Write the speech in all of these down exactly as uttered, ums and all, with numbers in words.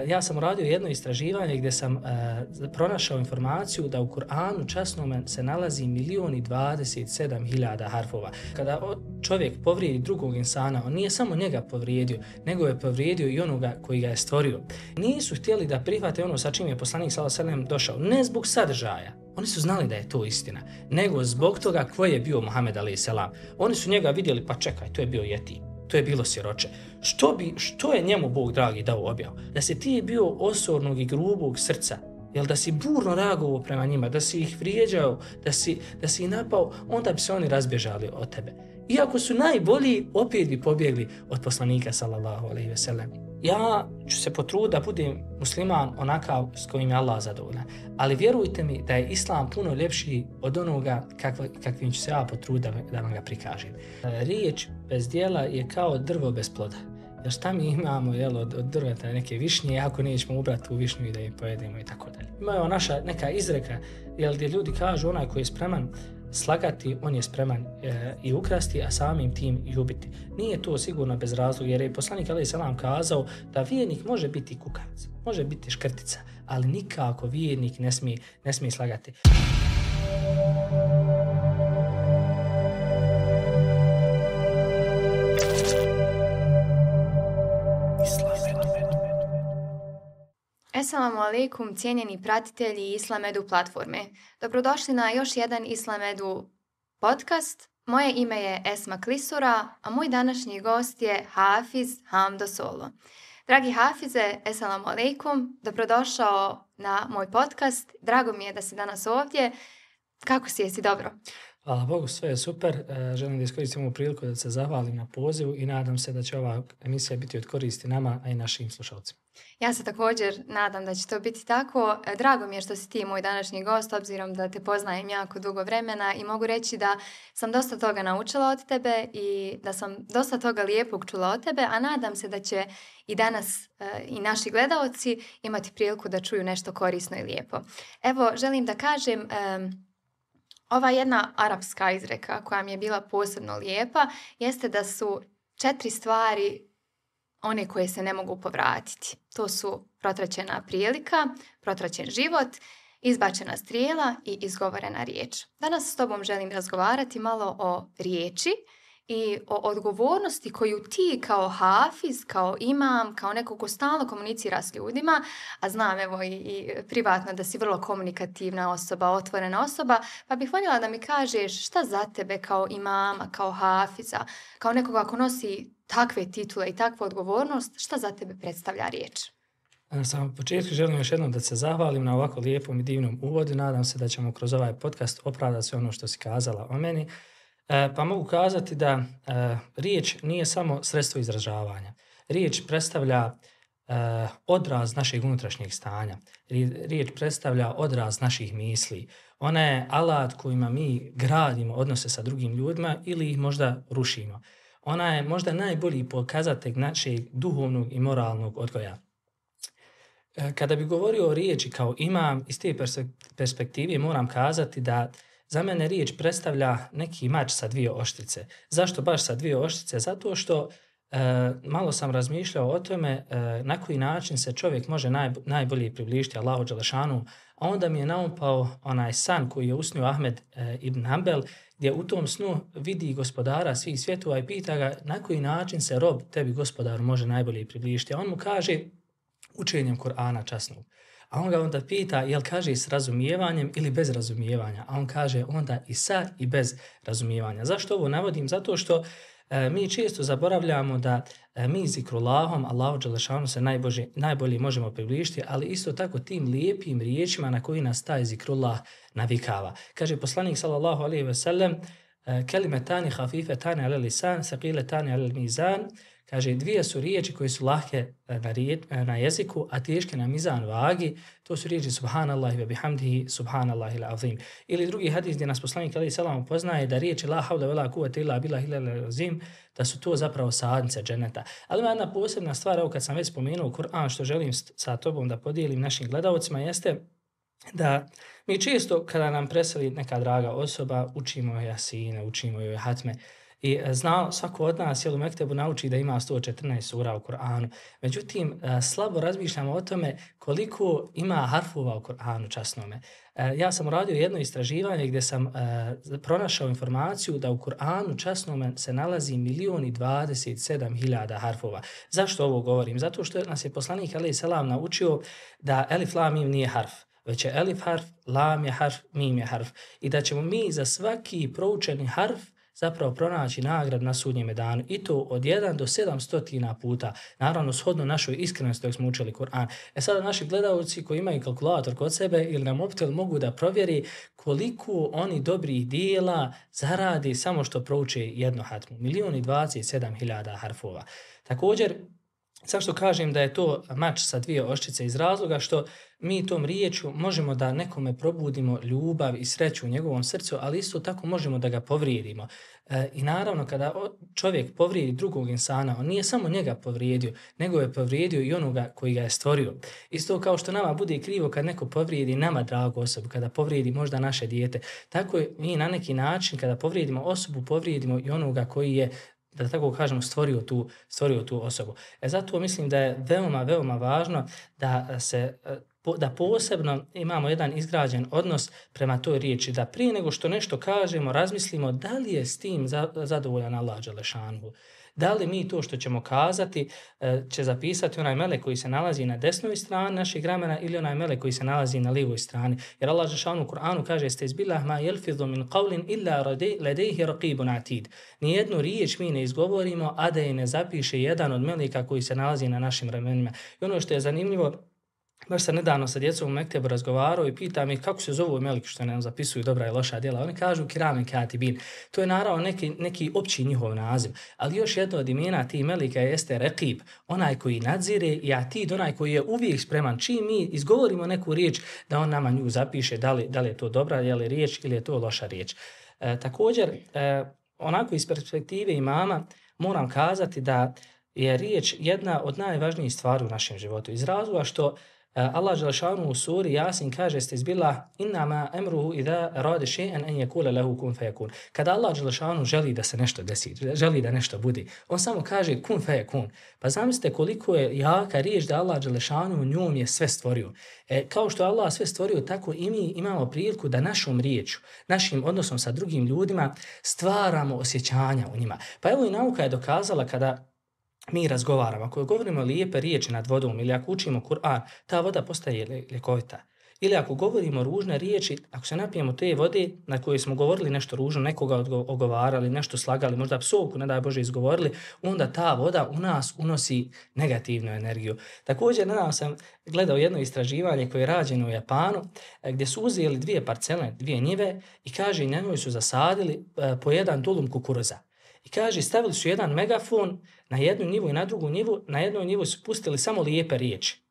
Ja sam uradio jedno istraživanje gdje sam uh, pronašao informaciju da u Kur'anu časnome se nalazi milion i dvadeset sedam hiljada harfova. Kada čovjek povrijedi drugog insana, on nije samo njega povrijedio, nego je povrijedio i onoga koji ga je stvorio. Nisu htjeli da prihvate ono sa čim je poslanik sallallahu alejhi ve sellem došao, ne zbog sadržaja. Oni su znali da je to istina, nego zbog toga ko je bio Muhammed alejhi selam. Oni su njega vidjeli, pa čekaj, to je bio jetim. To je bilo siroče. Što, bi, što je njemu Bog dragi dao objavu? Da si ti bio osornog i grubog srca, jel da si burno reagovao prema njima, da si ih vrijeđao, da si, da si ih napao, onda bi se oni razbježali od tebe. Iako su najbolji, opet bi pobjegli od poslanika sallallahu alejhi ve sellem. Ja ću se potruditi da budem musliman onakav s kojim je Allah zadovoljan. Ali vjerujte mi da je islam puno ljepši od onoga kakva, kakvim ću se ja potruditi da, da vam ga prikažem. Riječ bez djela je kao drvo bez ploda. Jer šta mi imamo jel, od, od drveta neke višnje, ako nećemo ubrati tu višnju i da je pojedemo i tako dalje. Ima naša neka izreka jel, gdje ljudi kažu onaj koji je spreman slagati, on je spreman e, i ukrasti, a samim tim i ubiti. Nije to sigurno bez razloga, jer je poslanik alejhi selam kazao da vjernik može biti kukac, može biti škrtica, ali nikako vjernik ne smije, ne smije slagati. Assalamu alaikum, cijenjeni pratitelji Islamedu platforme. Dobrodošli na još jedan Islamedu podcast. Moje ime je Esma Klisura, a moj današnji gost je Hafiz Hamdo Solo. Dragi Hafize, assalamu alaikum, dobrodošao na moj podcast. Drago mi je da si danas ovdje. Kako si, jesi dobro? Hvala Bogu, sve je super. Želim da iskoristim ovu priliku da se zahvalim na pozivu i nadam se da će ova emisija biti od koristi nama, a i našim slušalcima. Ja se također nadam da će to biti tako. Drago mi je što si ti moj današnji gost, obzirom da te poznajem jako dugo vremena i mogu reći da sam dosta toga naučila od tebe i da sam dosta toga lijepog čula od tebe, a nadam se da će i danas e, i naši gledaoci imati priliku da čuju nešto korisno i lijepo. Evo, želim da kažem... E, Ova jedna arapska izreka koja mi je bila posebno lijepa jeste da su četiri stvari one koje se ne mogu povratiti. To su protraćena prilika, protraćen život, izbačena strijela i izgovorena riječ. Danas s tobom želim razgovarati malo o riječi i o odgovornosti koju ti kao hafiz, kao imam, kao neko ko stalno komunicira s ljudima, a znam evo i, i privatno da si vrlo komunikativna osoba, otvorena osoba, pa bih voljela da mi kažeš šta za tebe kao imama, kao hafiza, kao nekoga ko nosi takve titule i takvu odgovornost, šta za tebe predstavlja riječ? Na samom početku želim još jednom da se zahvalim na ovako lijepom i divnom uvodu. Nadam se da ćemo kroz ovaj podcast opravdati sve ono što si kazala o meni. E, pa mogu kazati da e, riječ nije samo sredstvo izražavanja. Riječ predstavlja e, odraz našeg unutrašnjeg stanja. Riječ predstavlja odraz naših misli. Ona je alat kojima mi gradimo odnose sa drugim ljudima ili ih možda rušimo. Ona je možda najbolji pokazatelj našeg duhovnog i moralnog odgoja. E, kada bi govorio o riječi kao imam, iz te perspektive moram kazati da za mene riječ predstavlja neki mač sa dvije oštrice. Zašto baš sa dvije oštrice? Zato što e, malo sam razmišljao o tome e, na koji način se čovjek može naj, najbolje približiti Allahu dželešanu, a onda mi je naumpao onaj san koji je usnio Ahmed e, ibn Hanbel, gdje u tom snu vidi gospodara svih svjetova i pita ga na koji način se rob tebi gospodaru može najbolje približiti. A on mu kaže učenjem Kur'ana časnog. A on ga onda pita, jel kaže s razumijevanjem ili bez razumijevanja? A on kaže onda i sa i bez razumijevanja. Zašto ovo navodim? Zato što e, mi često zaboravljamo da e, mi zikrullahom, Allahu dželešanu se najbolje, najbolje možemo približiti, ali isto tako tim lijepim riječima na koji nas taj zikrullah navikava. Kaže poslanik sallallahu alejhi ve sellem, kelimetani hafifetani ala lisan, saqiletani ala mizan. Kaže, dvije su riječi koje su lahke na, riječ, na jeziku, a teške na mizan vagi. To su riječi subhanallahi ve bihamdihi, subhanallahi l'azim. Ili drugi hadis gdje nas poslanik alejhi selam poznaje da riječi la havla vela kuvvete illa billahi l'azim, da su to zapravo sadnice dženeta. Ali ima jedna posebna stvar, evo kad sam već spomenuo Kur'an, što želim sa tobom da podijelim našim gledalcima, jeste da mi često kada nam preseli neka draga osoba, učimo joj jasine, učimo joj hatme, I zna, svako od nas jel, u Mektebu nauči da ima sto četrnaest sura u Kur'anu. Međutim, slabo razmišljamo o tome koliko ima harfova u Kur'anu časnome. Ja sam uradio jedno istraživanje gdje sam uh, pronašao informaciju da u Kur'anu časnome se nalazi milion i dvadeset sedam hiljada harfova. Zašto ovo govorim? Zato što nas je poslanik alejhi selam naučio da elif lam mim nije harf, već je elif harf, lam je harf, mim je harf. I da ćemo mi za svaki proučeni harf zapravo pronaći nagrad na sudnjem danu i to od jedan do sedamsto puta, naravno shodno našoj iskrenosti dok smo učili Kur'an. E sada naši gledalci koji imaju kalkulator kod sebe ili na mobitel mogu da provjeri koliko oni dobrih dijela zaradi samo što prouče jedno hatmu. Milion i dvadeset sedam hiljada harfova. Također, zašto kažem da je to mač sa dvije oštrice iz razloga što mi tom riječju možemo da nekome probudimo ljubav i sreću u njegovom srcu, ali isto tako možemo da ga povrijedimo. E, I naravno kada čovjek povrijedi drugog insana, on nije samo njega povrijedio, nego je povrijedio i onoga koji ga je stvorio. Isto kao što nama bude krivo kad neko povrijedi nama dragu osobu, kada povrijedi možda naše dijete, tako je mi na neki način kada povrijedimo osobu, povrijedimo i onoga koji je, da tako kažemo, stvorio tu, stvorio tu osobu. E zato mislim da je veoma, veoma važno da se da posebno imamo jedan izgrađen odnos prema toj riječi, da prije nego što nešto kažemo, razmislimo da li je s tim zadovoljan Allah dželešanu. Da li mi to što ćemo kazati će zapisati onaj melek koji se nalazi na desnoj strani našeg ramena ili onaj melek koji se nalazi na lijevoj strani. Jer Allah dželešanu u Kur'anu kaže: "Stezbillah ma yalfidhu min qawlin illa ladayhi raqibun atid." Nijednu riječ mi ne izgovorimo, a da je ne zapiše jedan od meleka koji se nalazi na našim ramenima. I ono što je zanimljivo, baš sam nedavno sa djecom u Mektebu razgovarao i pitam ih kako se zovu meleki što nam zapisuju dobra i loša djela. Oni kažu kiramen katibin. To je naravno neki, neki opći njihov naziv. Ali još jedno od imena tih meleka jeste Raqib, onaj koji nadzire, i Atid, onaj koji je uvijek spreman. Čim mi izgovorimo neku riječ, da on nama nju zapiše da li, da li je to dobra je li riječ ili je to loša riječ. E, također, e, onako iz perspektive imama moram kazati da je riječ jedna od najvažnijih stvari u našem životu. Iz razloga što Allah dželešanu u suri Jasin kaže: "Stezbillah innama amruhu idha arada shay'an an yaqula lahu kun fayakun." Kada Allah dželešanu želi da se nešto desi, želi da nešto bude, on samo kaže kun fayakun. Pa zamislite koliko je jaka riječ da Allah dželešanu njom je sve stvorio. E, kao što Allah sve stvorio, tako i mi imamo priliku da našom riječju, našim odnosom sa drugim ljudima stvaramo osjećanja u njima. Pa evo i nauka je dokazala kada mi razgovaramo, ako govorimo lijepe riječi nad vodom ili ako učimo Kur'an, ta voda postaje ljekovita. Ili ako govorimo ružne riječi, ako se napijemo te vode na koje smo govorili nešto ružno, nekoga ogovarali, nešto slagali, možda psovku, ne daj Bože, izgovorili, onda ta voda u nas unosi negativnu energiju. Također, nedavno sam gledao jedno istraživanje koje je rađeno u Japanu, gdje su uzeli dvije parcele, dvije njive i kaže, na njoj su zasadili po jedan dulum kukuruza. I kaže, stavili su jedan megafon na jednu njivu i na drugu njivu, na jednoj njivu su pustili samo lijepe riječi,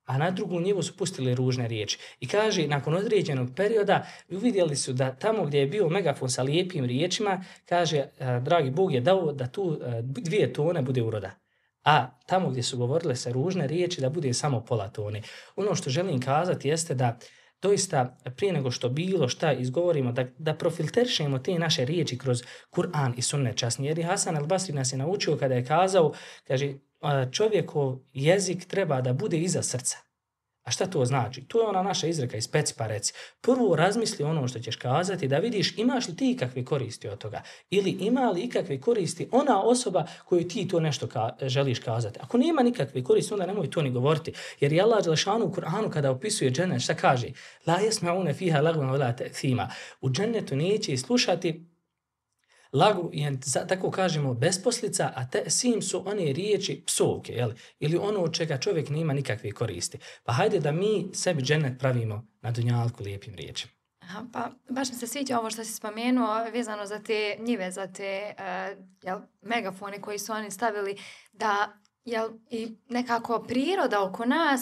a na drugu njivu su pustili ružne riječi. I kaže, nakon određenog perioda uvidjeli su da tamo gdje je bio megafon sa lijepim riječima, kaže, dragi Bog je dao da tu dvije tone bude uroda. A tamo gdje su govorile se ružne riječi, da bude samo pola tone. Ono što želim kazati jeste da doista prije nego što bilo šta izgovorimo, da, da profilteršemo te naše riječi kroz Kur'an i sunnet časni. Jer Hasan al-Basri nas je naučio kada je kazao, kaže, čovjekov jezik treba da bude iza srca. A šta to znači? To je ona naša izreka iz peci pa reci. Prvo razmisli ono što ćeš kazati, da vidiš imaš li ti ikakve koristi od toga. Ili ima li ikakve koristi ona osoba koju ti to nešto ka- želiš kazati. Ako nema nikakve koristi, onda nemoj to ni govoriti. Jer je Allah dželešanu u Kur'anu kada opisuje džennet, šta kaže? La yasma'una fiha lagwan wala ta'thima. U džennetu neće slušati lagu, je, tako kažemo, besposlica, a te sim su one riječi psovke, jel? Ili ono od čega čovjek nema nikakve koristi. Pa hajde da mi sebi džennet pravimo na dunjalku lijepim riječima. Aha, pa baš mi se sviđa ovo što si spomenuo vezano za te njive, za te uh, jel, megafone koji su oni stavili, da jel, i nekako priroda oko nas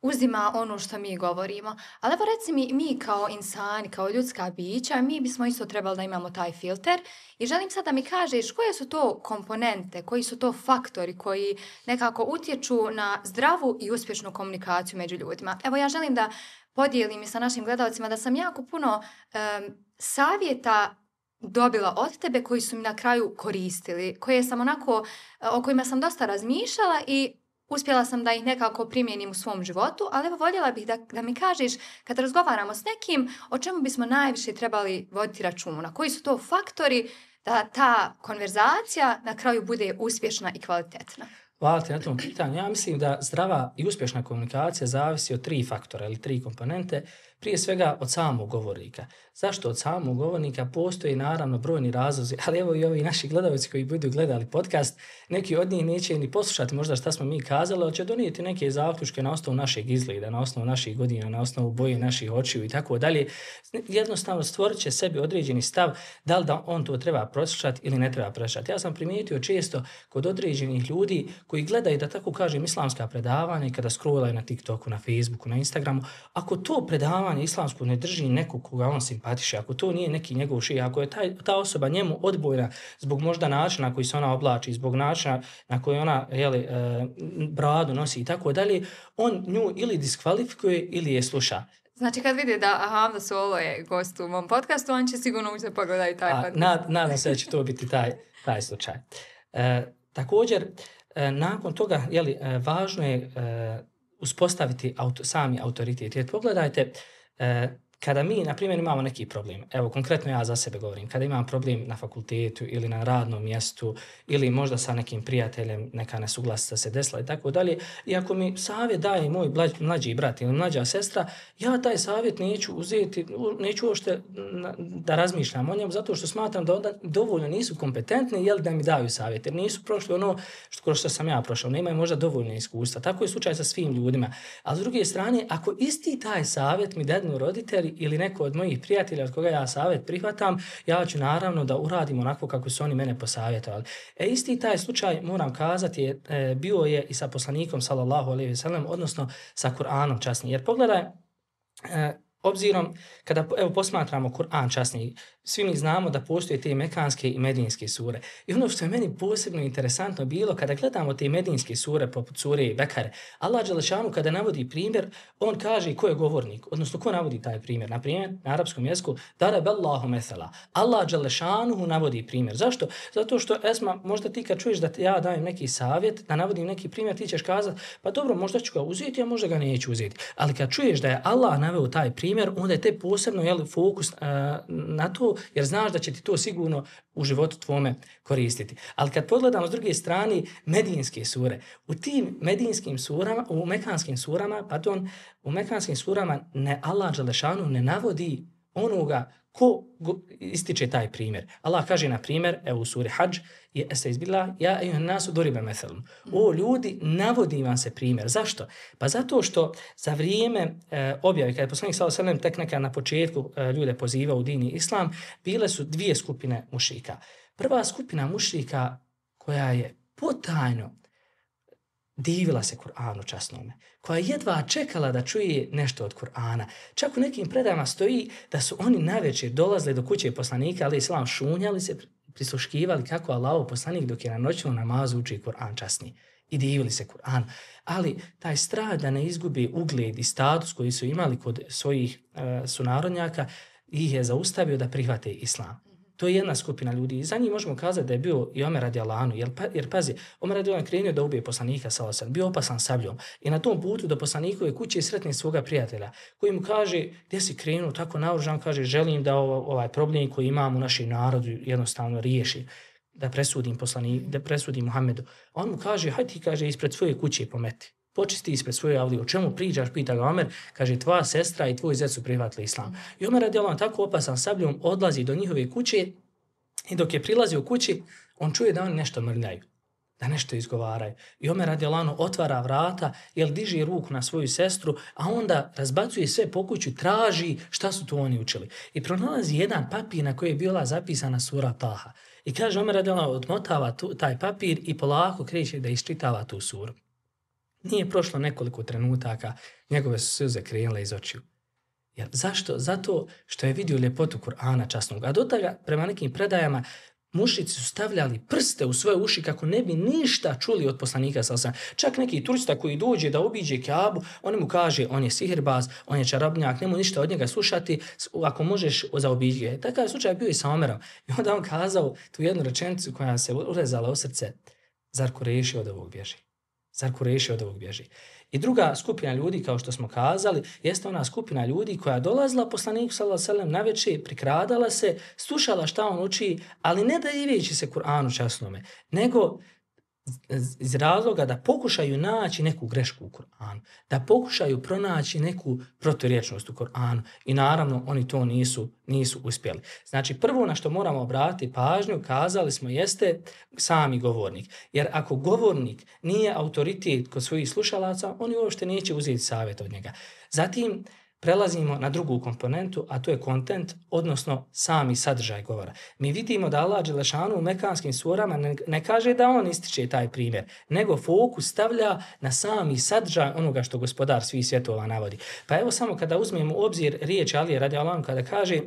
uzima ono što mi govorimo. Ali evo reci mi, mi kao insani, kao ljudska bića, mi bismo isto trebali da imamo taj filter. I želim sad da mi kažeš koje su to komponente, koji su to faktori koji nekako utječu na zdravu i uspješnu komunikaciju među ljudima. Evo ja želim da podijelim i sa našim gledalcima da sam jako puno um, savjeta dobila od tebe koji su mi na kraju koristili, koje sam onako, o kojima sam dosta razmišljala i uspjela sam da ih nekako primijenim u svom životu, ali evo voljela bih da, da mi kažeš, kad razgovaramo s nekim, o čemu bismo najviše trebali voditi računa, koji su to faktori da ta konverzacija na kraju bude uspješna i kvalitetna. Hvala ti na tom pitanju. Ja mislim da zdrava i uspješna komunikacija zavisi od tri faktora ili tri komponente. Prije svega od samog govornika. Zašto od samog govornika? Postoji naravno brojni razlozi, ali evo i ovi naši gledalci koji budu gledali podcast, neki od njih neće ni poslušati možda šta smo mi kazali, ali će donijeti neke zaključke na osnovu našeg izgleda, na osnovu naših godina, na osnovu boje naših očiju i tako dalje. Jednostavno stvorit će sebi određeni stav da li da on to treba poslušati ili ne treba poslušati. Ja sam primijetio često kod određenih ljudi koji gledaju, da tako kažem, islamska predavanja i kada scrollaju na TikToku, na Facebooku, na Instagramu, ako to predavanje islamsko ne drži nekog koga on simpatiše, ako to nije neki njegov šija, ako je taj, ta osoba njemu odbojna zbog možda načina na koji se ona oblači, zbog načina na koji ona jeli, e, bradu nosi i tako dalje, on nju ili diskvalifikuje ili je sluša. Znači kad vidi da Hamza Solo je gost u mom podcastu, on će sigurno ući da pogledaju taj podcast. Nad, nadam se da će to biti taj, taj slučaj. E, također, e, nakon toga, jeli, e, važno je e, uspostaviti auto, sami autoritet. Jer pogledajte, e, kada mi, na primjer, imamo neki problem, evo, konkretno ja za sebe govorim, kada imam problem na fakultetu ili na radnom mjestu ili možda sa nekim prijateljem, neka nesuglasica se desila i tako dalje, i ako mi savjet daje moj mlađi brat ili mlađa sestra, ja taj savjet neću uzeti, neću uopšte da razmišljam o njemu, zato što smatram da onda dovoljno nisu kompetentni, jel, da mi daju savjet, jer nisu prošli ono što, kroz što sam ja prošao, nemaju možda dovoljno iskustva. Tako je slučaj sa svim ljudima. A s druge strane, ako isti taj savjet mi dadnu roditelji ili neko od mojih prijatelja od koga ja savjet prihvatam, ja ću naravno da uradim onako kako su oni mene posavjetovali. E isti taj slučaj, moram kazati, je, e, bio je i sa poslanikom sallallahu alejhi ve sellem, odnosno sa Kur'anom časnim. Jer pogledaj, e, obzirom, kada evo, posmatramo Kur'an časni, svi mi znamo da postoje te mekanske i medinske sure. I ono što je meni posebno interesantno bilo, kada gledamo te medinske sure, poput sure Bekare, Allah dželešanu kada navodi primjer, on kaže ko je govornik, odnosno ko navodi taj primjer. Na primjer, na arapskom jeziku, darabellahu mesela. Allah dželešanu navodi primjer. Zašto? Zato što, Esma, možda ti kad čuješ da ja dajem neki savjet, da navodim neki primjer, ti ćeš kazati, pa dobro, možda ću ga uzeti, a možda ga neću uzeti. Ali kad čuješ da je Allah naveo taj primjer, onda je te posebno jel, fokus uh, na to, jer znaš da će ti to sigurno u životu tvome koristiti. Ali kad pogledamo s druge strane medinske sure, u tim medinskim surama, u mekanskim surama, pardon, u mekanskim surama ne Allah dželešanu ne navodi onoga ko ističe taj primjer. Allah kaže na primjer, evo u suri Hadž, je estaibillah, ja ejuhan nasu duriba methalun. O ljudi, navodi vam se primjer. Zašto? Pa zato što za vrijeme e, objave, kada je poslanik sallallahu alejhi ve sellem tek neka na početku e, ljude pozivao u dini islam, bile su dvije skupine mušrika. Prva skupina mušrika koja je potajno divila se Kur'anu časnome, koja jedva čekala da čuje nešto od Kur'ana. Čak u nekim predajama stoji da su oni navečer dolazili do kuće poslanika, ali islam šunjali se, prisluškivali kako Allahov poslanik dok je na noćnom namazu uči Kur'an časni. I divili se Kur'an. Ali taj strah da ne izgubi ugled i status koji su imali kod svojih uh, sunarodnjaka ih je zaustavio da prihvate islam. To je jedna skupina ljudi. I za njih možemo kazati da je bio i Omer radijallahu anhu, jer, pa, jer pazi, Omer radijallahu anhu krenuo da ubije poslanika sallallahu alejhi ve sellem, bio opasan sabljom. I na tom putu do poslanikove kuće sretne svoga prijatelja, koji mu kaže, gdje si krenuo tako naoružan, kaže, želim da ovaj problem koji imam u našem narodu jednostavno riješi, da presudim poslanik, da presudim Muhammedu. A on mu kaže, hajde ti, kaže, ispred svoje kuće pometi. Počisti ispred svoje avlije. O čemu pričaš, pita ga Omer, kaže, tvoja sestra i tvoj zet su prihvatili islam. I Omer radijallahu anhu tako opasan sabljom odlazi do njihove kuće i dok je prilazio kući, on čuje da oni nešto mrljaju, da nešto izgovaraju. I Omer radijallahu anhu otvara vrata, jel diže ruku na svoju sestru, a onda razbacuje sve po kuću, traži šta su to oni učili. I pronalazi jedan papir na koji je bila zapisana sura Taha. I kaže, Omer radijallahu anhu odmotava tu, taj papir i polako kreće da iščitava tu suru. Nije prošlo nekoliko trenutaka, njegove su suze krenule iz očiju. Jer zašto? Zato što je vidio ljepotu Kur'ana časnog. A do toga, prema nekim predajama, mušrici su stavljali prste u svoje uši kako ne bi ništa čuli od poslanika sallallahu alejhi ve sellem. Čak neki turista koji dođe da obiđe Kaabu, on mu kaže on je sihirbaz, on je čarobnjak, nemoj ništa od njega slušati, ako možeš zaobiđi ga. Takav slučaj bio i sa Omerom. I onda on kazao tu jednu rečenicu koja se urezala u srce: zar Kureši od ovog bježi? Zar Kureši od ovog bježi? I druga skupina ljudi, kao što smo kazali, jeste ona skupina ljudi koja dolazila poslaniku sallallahu alejhi ve sellem navečer, prikradala se, slušala šta on uči, ali ne da diveći se Kur'anu časnome, nego iz razloga da pokušaju naći neku grešku u Kur'anu, da pokušaju pronaći neku proturječnost u Kur'anu i naravno oni to nisu, nisu uspjeli. Znači prvo na što moramo obratiti pažnju, kazali smo, jeste sami govornik. Jer ako govornik nije autoritet kod svojih slušalaca, oni uopšte neće uzeti savjet od njega. Zatim prelazimo na drugu komponentu, a to je kontent, odnosno sami sadržaj govora. Mi vidimo da Allah dželešanu u mekanskim surama ne, ne kaže da on ističe taj primjer, nego fokus stavlja na sami sadržaj onoga što gospodar svih svjetova navodi. Pa evo samo kada uzmemo u obzir riječ Alije radijallahu anhu kada kaže: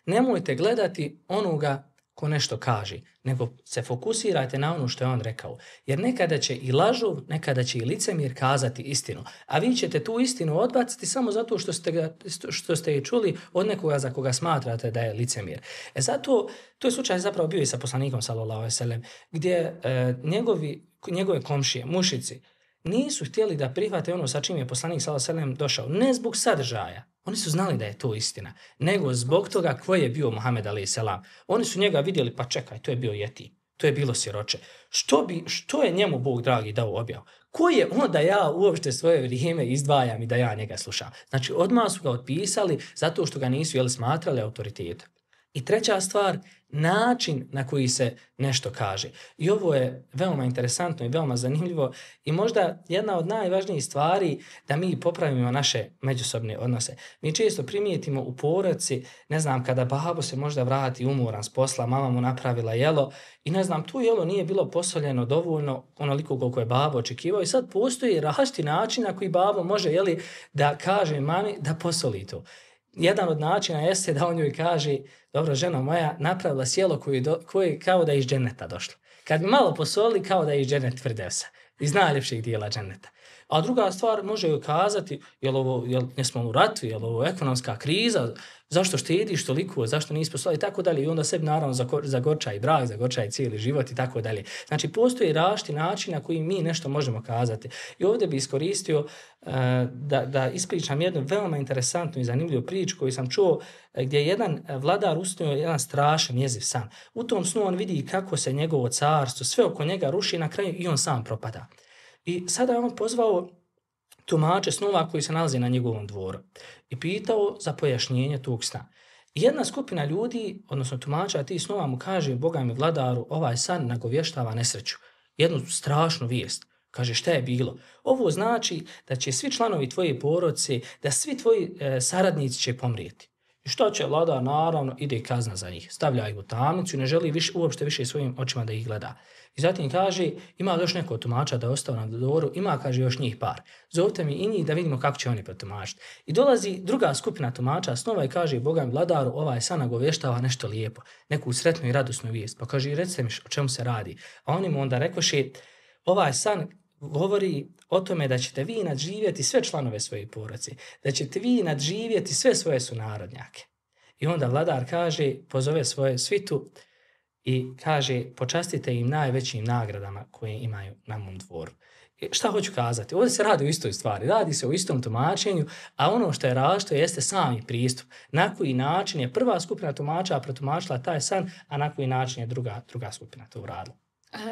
nemojte gledati onoga ko nešto kaže, nego se fokusirajte na ono što je on rekao. Jer nekada će i lažov, nekada će i licemjer kazati istinu, a vi ćete tu istinu odbaciti samo zato što ste, ga, što ste je čuli od nekoga za koga smatrate da je licemjer. E zato, to je slučaj zapravo bio i sa poslanikom sallallahu alejhi ve sellem, gdje e, njegovi, njegove komšije, mušici, nisu htjeli da prihvate ono sa čim je poslanik sallallahu alejhi ve sellem došao, ne zbog sadržaja. Oni su znali da je to istina, nego zbog toga ko je bio Muhammed alejhi selam. Oni su njega vidjeli, pa čekaj, to je bio jeti, to je bilo siroče. Što, bi, što je njemu Bog dragi dao objavu? Ko je on da ja uopšte svoje vrijeme izdvajam i da ja njega slušam? Znači, odmah su ga otpisali zato što ga nisu jeli smatrali autoritetom. I treća stvar, način na koji se nešto kaže. I ovo je veoma interesantno i veoma zanimljivo i možda jedna od najvažnijih stvari da mi popravimo naše međusobne odnose. Mi često primijetimo u porodici, ne znam, kada babo se možda vrati umoran s posla, mama mu napravila jelo i ne znam, tu jelo nije bilo posoljeno dovoljno onoliko koliko je babo očekivao i sad postoji različiti način na koji babo može jeli, da kaže mami da posoli to. Jedan od načina jeste da on joj kaže: dobro, ženo moja, napravila sjelo koje, do, koje kao da je iz dženeta došlo. Kad bi malo posoli, kao da je iz dženet Firdevsa, iz najljepših dijela dženeta. A druga stvar, može joj kazati: jel ovo, jel, jesmo u ratu, jel ovo ekonomska kriza, zašto štediš toliko, zašto nisi poslali i tako dalje. I onda sebi naravno zagorča i brak, zagorča i cijeli život i tako dalje. Znači, postoji različiti način na koji mi nešto možemo kazati. I ovdje bi iskoristio uh, da, da ispričam jednu veoma interesantnu i zanimljivu priču koju sam čuo, gdje je jedan vladar usnuo jedan strašan jeziv san. U tom snu on vidi kako se njegovo carstvo, sve oko njega ruši, na kraju i on sam propada. I sada je on pozvao tumače snova koji se nalazi na njegovom dvoru i pitao za pojašnjenje tog sna. I jedna skupina ljudi, odnosno tumača tih snova, mu kaže: Boga mi vladaru, ovaj san nagovještava nesreću, jednu strašnu vijest. Kaže: šta je bilo? Ovo znači da će svi članovi tvoje porodice, da svi tvoji e, saradnici će pomrijeti. I što će vladar? Naravno, ide kazna za njih. Stavlja ih u tamnicu i ne želi više, uopšte više svojim očima da ih gleda. I zatim kaže: ima još neko tumača da je ostao na dvoru, ima, kaže, još njih par. Zovite mi i njih da vidimo kako će oni protumačiti. I dolazi druga skupina tumača snova i kaže: Boga mi vladaru, ovaj san nagovještava nešto lijepo, neku sretnu i radosnu vijest. Pa kaže: recite mi o čemu se radi. A oni mu onda rekoše: ovaj san govori o tome da ćete vi nadživjeti sve članove svoje porodice, da ćete vi nadživjeti sve svoje sunarodnjake. I onda vladar kaže, pozove svoje svitu i kaže: počastite im najvećim nagradama koje imaju na mom dvoru. I šta hoću kazati? Ovdje se radi o istoj stvari, radi se o istom tumačenju, a ono što je različito jeste sami pristup. Na koji način je prva skupina tumača protumačila taj san, a na koji način je druga, druga skupina to uradila.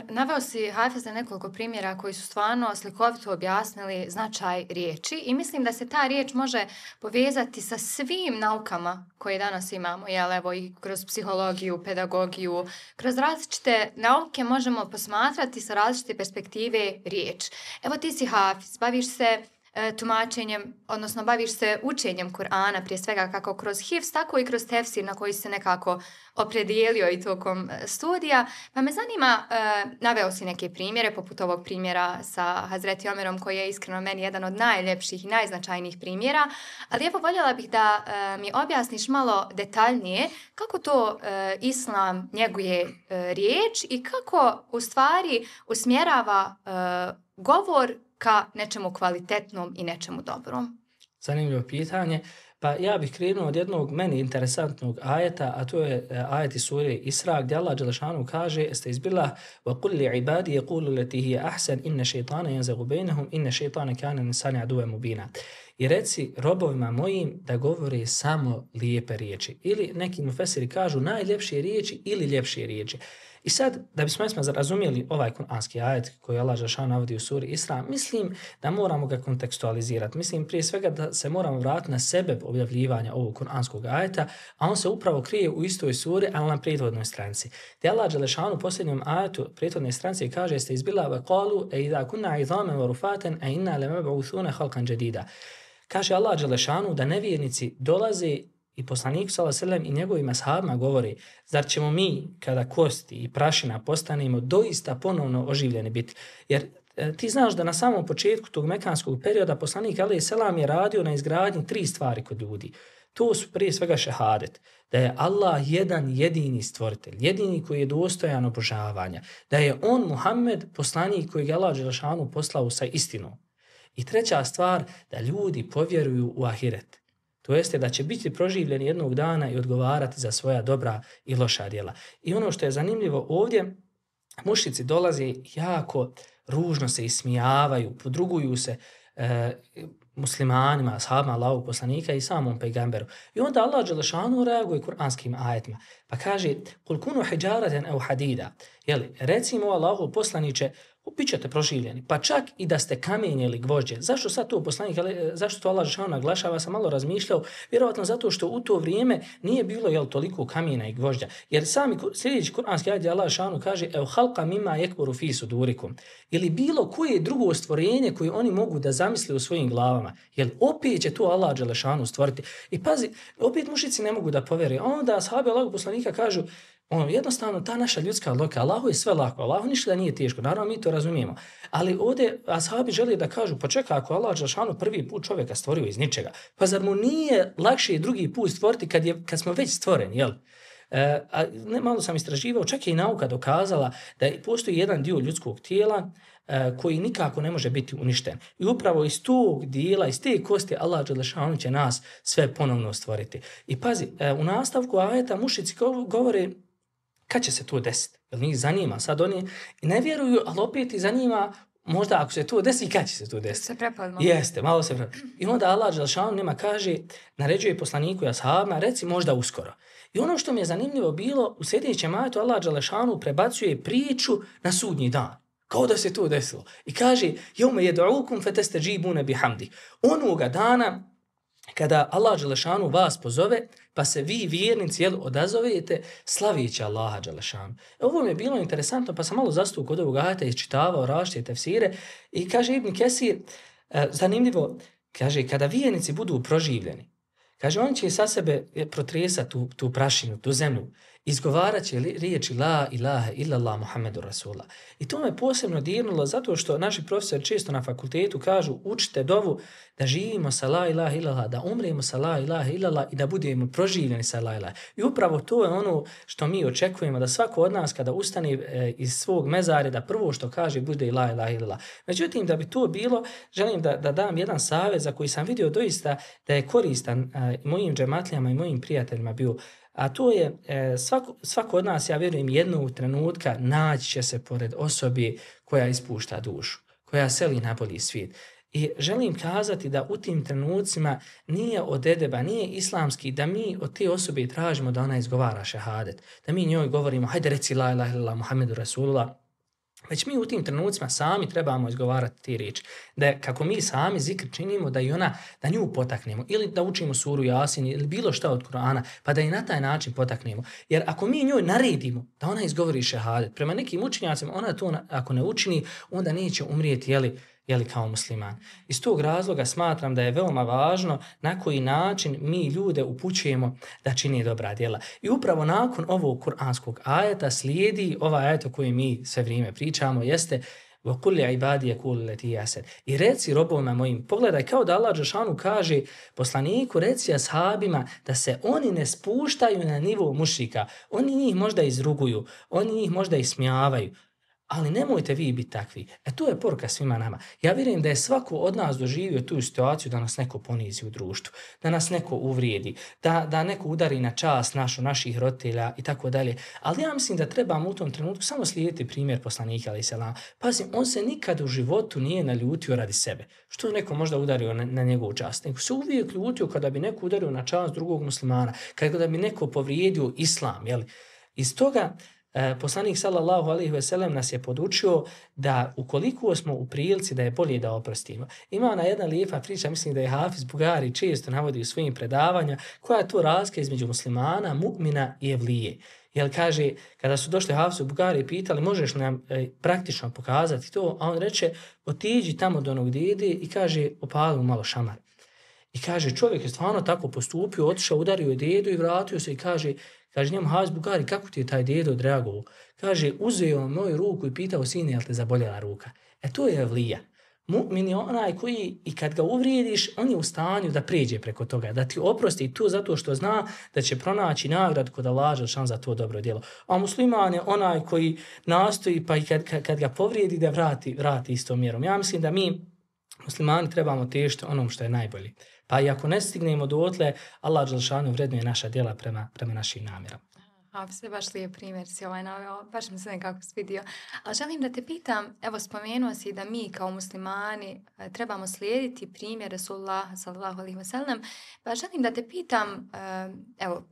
Naveo si, Hafize, nekoliko primjera koji su stvarno slikovito objasnili značaj riječi i mislim da se ta riječ može povezati sa svim naukama koje danas imamo, jel, evo, i kroz psihologiju, pedagogiju, kroz različite nauke možemo posmatrati sa različite perspektive riječ. Evo, ti si Hafiz, baviš se e, tumačenjem, odnosno baviš se učenjem Kur'ana, prije svega kako kroz hifz, tako i kroz tefsir na koji se nekako opredijelio i tokom studija. Pa me zanima, e, naveo si neke primjere, poput ovog primjera sa Hazreti Omerom, koji je iskreno meni jedan od najljepših i najznačajnijih primjera, ali evo voljela bih da e, mi objasniš malo detaljnije kako to e, Islam njeguje e, riječ i kako u stvari usmjerava e, govor ka nečemu kvalitetnom i nečemu dobrom. Zanimljivo pitanje. Pa ja bih krenuo od jednog meni interesantnog ajeta, a to je ajet iz sure Isra, gdje Allah dželešanu kaže: "Estezbillah wa qul li ibadi yaqulu allati hiya ahsan inna shaytana yanzaghu bainahum inna shaytana kana linsani aduwwan mubina." I reci robovima mojim da govore samo lijepe riječi. Ili neki mufesiri kažu najljepše riječi ili ljepše riječi. I sad, da bismo razumjeli ovaj kuranski ajet koji Allah dželešanu navodi u suri Isra, mislim da moramo ga kontekstualizirati. Mislim prije svega da se moramo vratiti na sebe objavljivanja ovog kuranskog ajeta, a on se upravo krije u istoj suri, ali na prethodnoj stranici. Te Allah dželešanu u posljednjem ajetu prethodne stranice kaže: "Ste izbila ve qalu e idha kunna idhaman wa rufaten a inna lamab'uthuna khalqan jadida." Kaže Allah dželešanu da nevjernici dolaze i poslanik sallallahu alejhi ve sellem i njegovim ashabima govori: "Zar ćemo mi, kada kosti i prašina postanemo, doista ponovno oživljeni biti?" Jer e, ti znaš da na samom početku tog mekanskog perioda poslanik alejhi selam je radio na izgradnji tri stvari kod ljudi. To su prije svega šehadet, da je Allah jedan jedini stvoritelj, jedini koji je dostojan obožavanja, da je on Muhammed poslanik kojeg je Allah dželešanu poslao sa istinom. I treća stvar, da ljudi povjeruju u ahiret. To jeste da će biti proživljeni jednog dana i odgovarati za svoja dobra i loša djela. I ono što je zanimljivo ovdje, mušrici dolaze jako ružno se ismijavaju, podruguju se e, muslimanima, ashabima Allahovog poslanika i samom pejgamberu. I onda Allah dželešanu reaguje kuranskim ajetima. Pa kaže: "Kul kunu hijaraten aw hadida." Jeli, recimo Allahov poslaniče, bit ćete proživljeni, pa čak i da ste kamenje ili gvožđe. Zašto sad to poslanik, zašto to Allah dželešanu naglašava? Sam malo razmišljao, vjerovatno zato što u to vrijeme nije bilo jel toliko kamena i gvožđa. Jer sami sljedeći kuranski ajet Allah dželešanu kaže: "Ev halqa mimma yakburu fi sudurikum." Ili bilo koje drugo stvorenje koje oni mogu da zamisle u svojim glavama. Jel opet će to Allah dželešanu stvoriti. I pazi, opet mušici ne mogu da povjeruju. A onda ashabi Allahovog poslanika kažu: ono, jednostavno, ta naša ljudska logika, Allahu je sve lako, Allahu ništa nije teško, naravno mi to razumijemo. Ali ovdje ashabi žele da kažu: pa čekaj, ako Allah dželešanu prvi put čovjeka stvorio iz ničega, pa zar mu nije lakše drugi put stvoriti kad, je, kad smo već stvoreni, jel? E, a ne, malo sam istraživao, čak je i nauka dokazala da postoji jedan dio ljudskog tijela e, koji nikako ne može biti uništen. I upravo iz tog dijela, iz te kosti, Allah dželešanu će nas sve ponovno stvoriti. I pazi, e, u nastavku ajeta mušici govore: kad će se to desiti? Jer njih zanima. Sad oni ne vjeruju, ali opet i zanima možda ako se to desi, kad će se to desiti? Se prepadmo. Jeste, malo se prepadmo. I onda Allah dželešanu njima kaže, naređuje poslaniku i ashabima, reci možda uskoro. I ono što mi je zanimljivo bilo, u sljedećem ajetu Allah dželešanu prebacuje priču na sudnji dan. Kao da se to desilo. I kaže: "Jevme yed'ukum fatestajibuna bihamdi." Onoga dana kada Allah dželešanu vas pozove, pa se vi vjernici jel, odazovete slavići Allaha dželešanu. Ovo mi je bilo interesantno, pa sam malo zastao kod ovog ajeta, iščitavao različite tefsire i kaže Ibn Kesir, e, zanimljivo, kaže, kada vjernici budu proživljeni, kaže, oni će sa sebe protresati tu, tu prašinu, tu zemlju, izgovarat će riječi la ilaha illallah Muhammedu Rasulullah. I to me posebno dirnulo zato što naši profesori često na fakultetu kažu: učite dovu da živimo sa la ilaha illallah, da umremo sa la ilaha illallah i da budemo proživljeni sa la ilaha. I upravo to je ono što mi očekujemo, da svako od nas kada ustane e, iz svog mezarja, da prvo što kaže bude la ilaha illallah. Međutim, da bi to bilo, želim da, da dam jedan savjet za koji sam vidio doista da je koristan e, mojim džematlijama i mojim prijateljima bio. A to je, e, svako, svako od nas, ja vjerujem, jednog trenutka naći će se pored osobe koja ispušta dušu, koja seli na bolji svijet. I želim kazati da u tim trenucima nije od edeba, nije islamski da mi od te osobe tražimo da ona izgovara šehadet. Da mi njoj govorimo: hajde reci la ilaha illallah Muhammedu Rasulullah. Već mi u tim trenucima sami trebamo izgovarati te riječi. Da kako mi sami zikr činimo, da i ona, da nju potaknemo. Ili da učimo suru Jasin ili bilo šta od Kur'ana, pa da i na taj način potaknemo. Jer ako mi njoj naredimo da ona izgovori šehadet, prema nekim učenjacima, ona to ako ne učini, onda neće umrijeti, jeli, jeli, kao musliman. Iz tog razloga smatram da je veoma važno na koji način mi ljude upućujemo da čini dobra djela. I upravo nakon ovog kuranskog ajeta slijedi ovaj ajet o kojem mi sve vrijeme pričamo, jeste وَقُلِّ عِبَادِيَ كُلُّ لَتِي يَسَدْ I reci robovima mojim, pogledaj kao da Allah dželešanu kaže poslaniku, reci ashabima da se oni ne spuštaju na nivo mušrika. Oni njih možda izruguju, oni njih možda ismijavaju, ali nemojte vi biti takvi. E to je poruka svima nama. Ja vjerujem da je svako od nas doživio tu situaciju da nas neko ponizi u društvu, da nas neko uvrijedi, da, da neko udari na čast našu, naših roditelja i tako dalje. Ali ja mislim da trebamo u tom trenutku samo slijediti primjer poslanika alejhi selam. Pazim, on se nikad u životu nije naljutio radi sebe. Što je neko možda udario na, na njegovu čast? Nego se uvijek ljutio kada bi neko udario na čast drugog muslimana, kada bi neko povrijedio islam. Jeli? Iz toga E, poslanik sallallahu alejhi ve sellem nas je podučio da ukoliko smo u prilici da je bolje da oprostimo. Ima ona jedna lijepa priča, mislim da je Hafiz Bugari često navodi u svojim predavanja, koja je to razlika između muslimana, mu'mina i evlije. Jer kaže, kada su došli Hafizu Bugari i pitali, možeš nam e, praktično pokazati to, a on reče, otiđi tamo do onog dede i kaže, opali mu malo šamar. I kaže, čovjek je stvarno tako postupio, otišao, udario je dedu i vratio se i kaže, Kaže njemu Hafiz Bugari, kako ti je taj dedo odreagovao? Kaže, uzeo moju ruku i pitao, sine, jel te zaboljela ruka? E to je evlija. Mu'min je onaj koji, i kad ga uvrijediš, on je u stanju da pređe preko toga, da ti oprosti to zato što zna da će pronaći nagrad kod Allaha dželešanu za to dobro djelo. A musliman je onaj koji nastoji, pa i kad, kad, kad ga povrijedi, da vrati, vrati istom mjerom. Ja mislim da mi, muslimani, trebamo težiti onom što je najbolje. Pa i ako ne stignemo dotle, Allah dželešanu vrednuje naša djela prema, prema našim namjerama. A, sve baš lijep primjer si ovaj naveo, baš mi se nekako svidio. Ali želim da te pitam, evo spomenuo si da mi kao muslimani trebamo slijediti primjer Rasulullaha sallallahu alejhi ve sellem, pa želim da te pitam, evo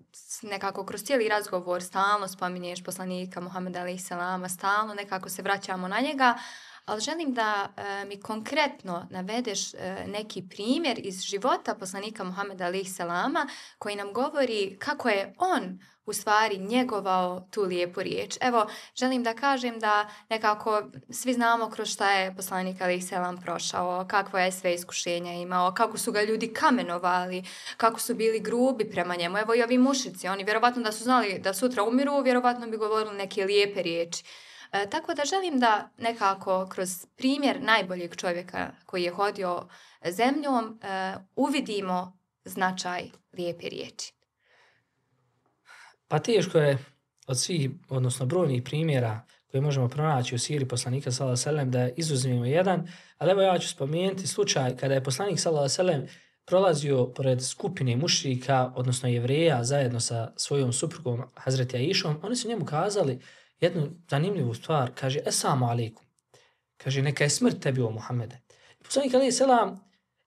nekako kroz cijeli razgovor stalno spominješ poslanika Muhameda alejhi selama, stalno nekako se vraćamo na njega, ali želim da e, mi konkretno navedeš e, neki primjer iz života poslanika Muhameda alejhi selama koji nam govori kako je on u stvari njegovao tu lijepu riječ. Evo, želim da kažem da nekako svi znamo kroz šta je poslanik alejhi selam prošao, kakvo je sve iskušenja imao, kako su ga ljudi kamenovali, kako su bili grubi prema njemu. Evo i ovi mušici, oni vjerovatno da su znali da sutra umiru, vjerovatno bi govorili neke lijepe riječi. E, tako da želim da nekako kroz primjer najboljeg čovjeka koji je hodio zemljom e, uvidimo značaj lijepe riječi. Pa teško je od svih, odnosno brojnih primjera koje možemo pronaći u siri poslanika sallallahu alejhi ve sellem da izuzmemo jedan, ali evo ja ću spomenuti slučaj kada je poslanik sallallahu alejhi ve sellem prolazio pored skupine mušrika, odnosno jevreja, zajedno sa svojom suprugom Hazreti Aišom. Oni su njemu kazali jednu zanimljivu stvar, kaže, Esalamu alaikum. Kaže, neka je smrt tebi o Muhammede. Poslanik alejhi selam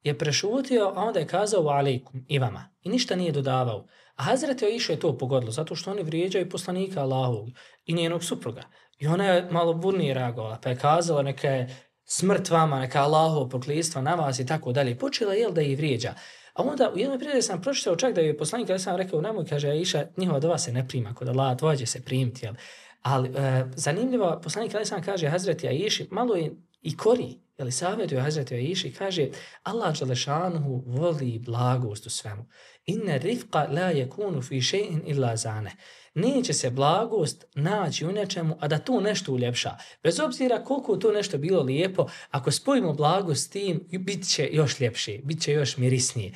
je prešutio, a onda je kazao alaikum i vama. I ništa nije dodavao. A Hazreti Aiša je to pogodilo, zato što oni vrijeđaju poslanika Allahovog i njenog supruga. I ona je malo burnije reagovala, pa je kazala neka je smrt vama, neka Allahov prokletstvo na vas i tako dalje. Počela je da ih vrijeđa. A onda u jednoj prilike sam pročitao čak da je poslanik alejhi selam rekao, nemoj, kaže Aiša, njihova dova se ne prima kod Allaha, tvoja će se primiti, jel? Ali e, zanimljivo, poslanik alejhi selam kaže Hazreti Aiši, malo je i kori, jel, savjetuje Hazreti Aiši, kaže Allah dželešanuhu voli blagost u svemu. Inne rifqa la yakunu fi shay'in illa zane. Neće se blagost naći u nečemu, a da to nešto uljepša. Bez obzira koliko to nešto bilo lijepo, ako spojimo blagost s tim, bit će još ljepše, bit će još mirisnije.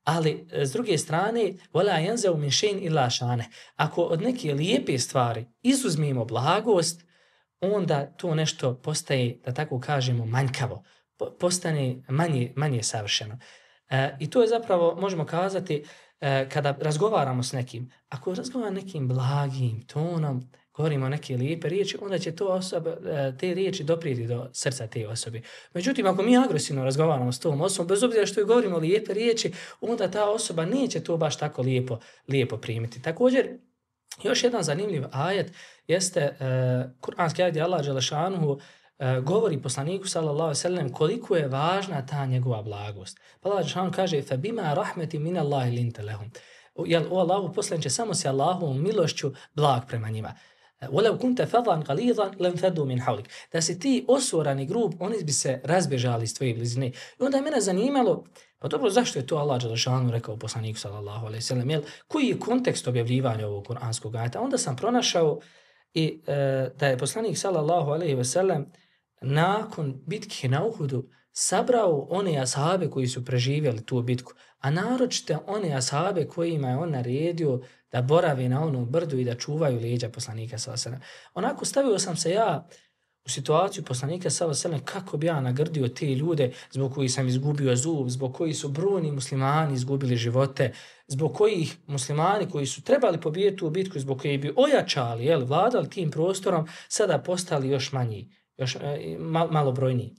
Ali, s druge strane, وَلَا يَنْزَوْ مِنْ شَيْءٍ إِلَّا شَانَ. Ako od neke lijepe stvari izuzmimo blagost, onda to nešto postaje, da tako kažemo, manjkavo. Postane manje, manje savršeno. E, I to je zapravo, možemo kazati, e, kada razgovaramo s nekim, ako razgovaramo nekim blagim tonom, govorimo neke lijepe riječi, onda će to osoba, te riječi doprijeti do srca te osobe. Međutim, ako mi agresivno razgovaramo s tom osobom, bez obzira što je govorimo lijepe riječi, onda ta osoba neće to baš tako lijepo, lijepo primiti. Također, još jedan zanimljiv ajet jeste uh, kuranski ajet gdje Allah dželešanuhu uh, govori poslaniku sallallahu alejhi ve sellem koliko je važna ta njegova blagost. Pa Allah dželešanuhu kaže فَبِمَا رَحْمَةٍ مِنَ اللَّهِ لِنْتَ لَهُمْ. Jel, o Allahu poslaniče, samo si Allahovom milošću blag prema njima. وَلَوْ كُنْتَ فَضًا غَلِيظًا لَنْفَضُّوا مِنْ حَوْلِكَ. Da si ti osorani grub, oni bi se razbježali iz tvoje blizine. I onda je mene zanimalo, pa dobro, zašto je to Allah dželešanu rekao poslaniku sallallahu alejhi ve sellem, jel, koji je kontekst objavljivanja ovog kuranskog ajeta? Onda sam pronašao i e, da je poslanik sallallahu alejhi ve sellem nakon bitke na Uhudu sabrao one ashabe koji su preživjeli tu bitku, a naročito one ashabe kojima je on naredio da borave na onom brdu i da čuvaju leđa poslanika sallallahu alejhi ve sellem. Onako stavio sam se ja u situaciju poslanika sallallahu alejhi ve sellem kako bi ja nagrdio te ljude zbog kojih sam izgubio zub, zbog kojih su brojni muslimani izgubili živote, zbog kojih muslimani koji su trebali pobijediti u bitku, zbog kojih bi ojačali, jel, vladali tim prostorom, sada postali još manji, još e, mal, malo brojniji.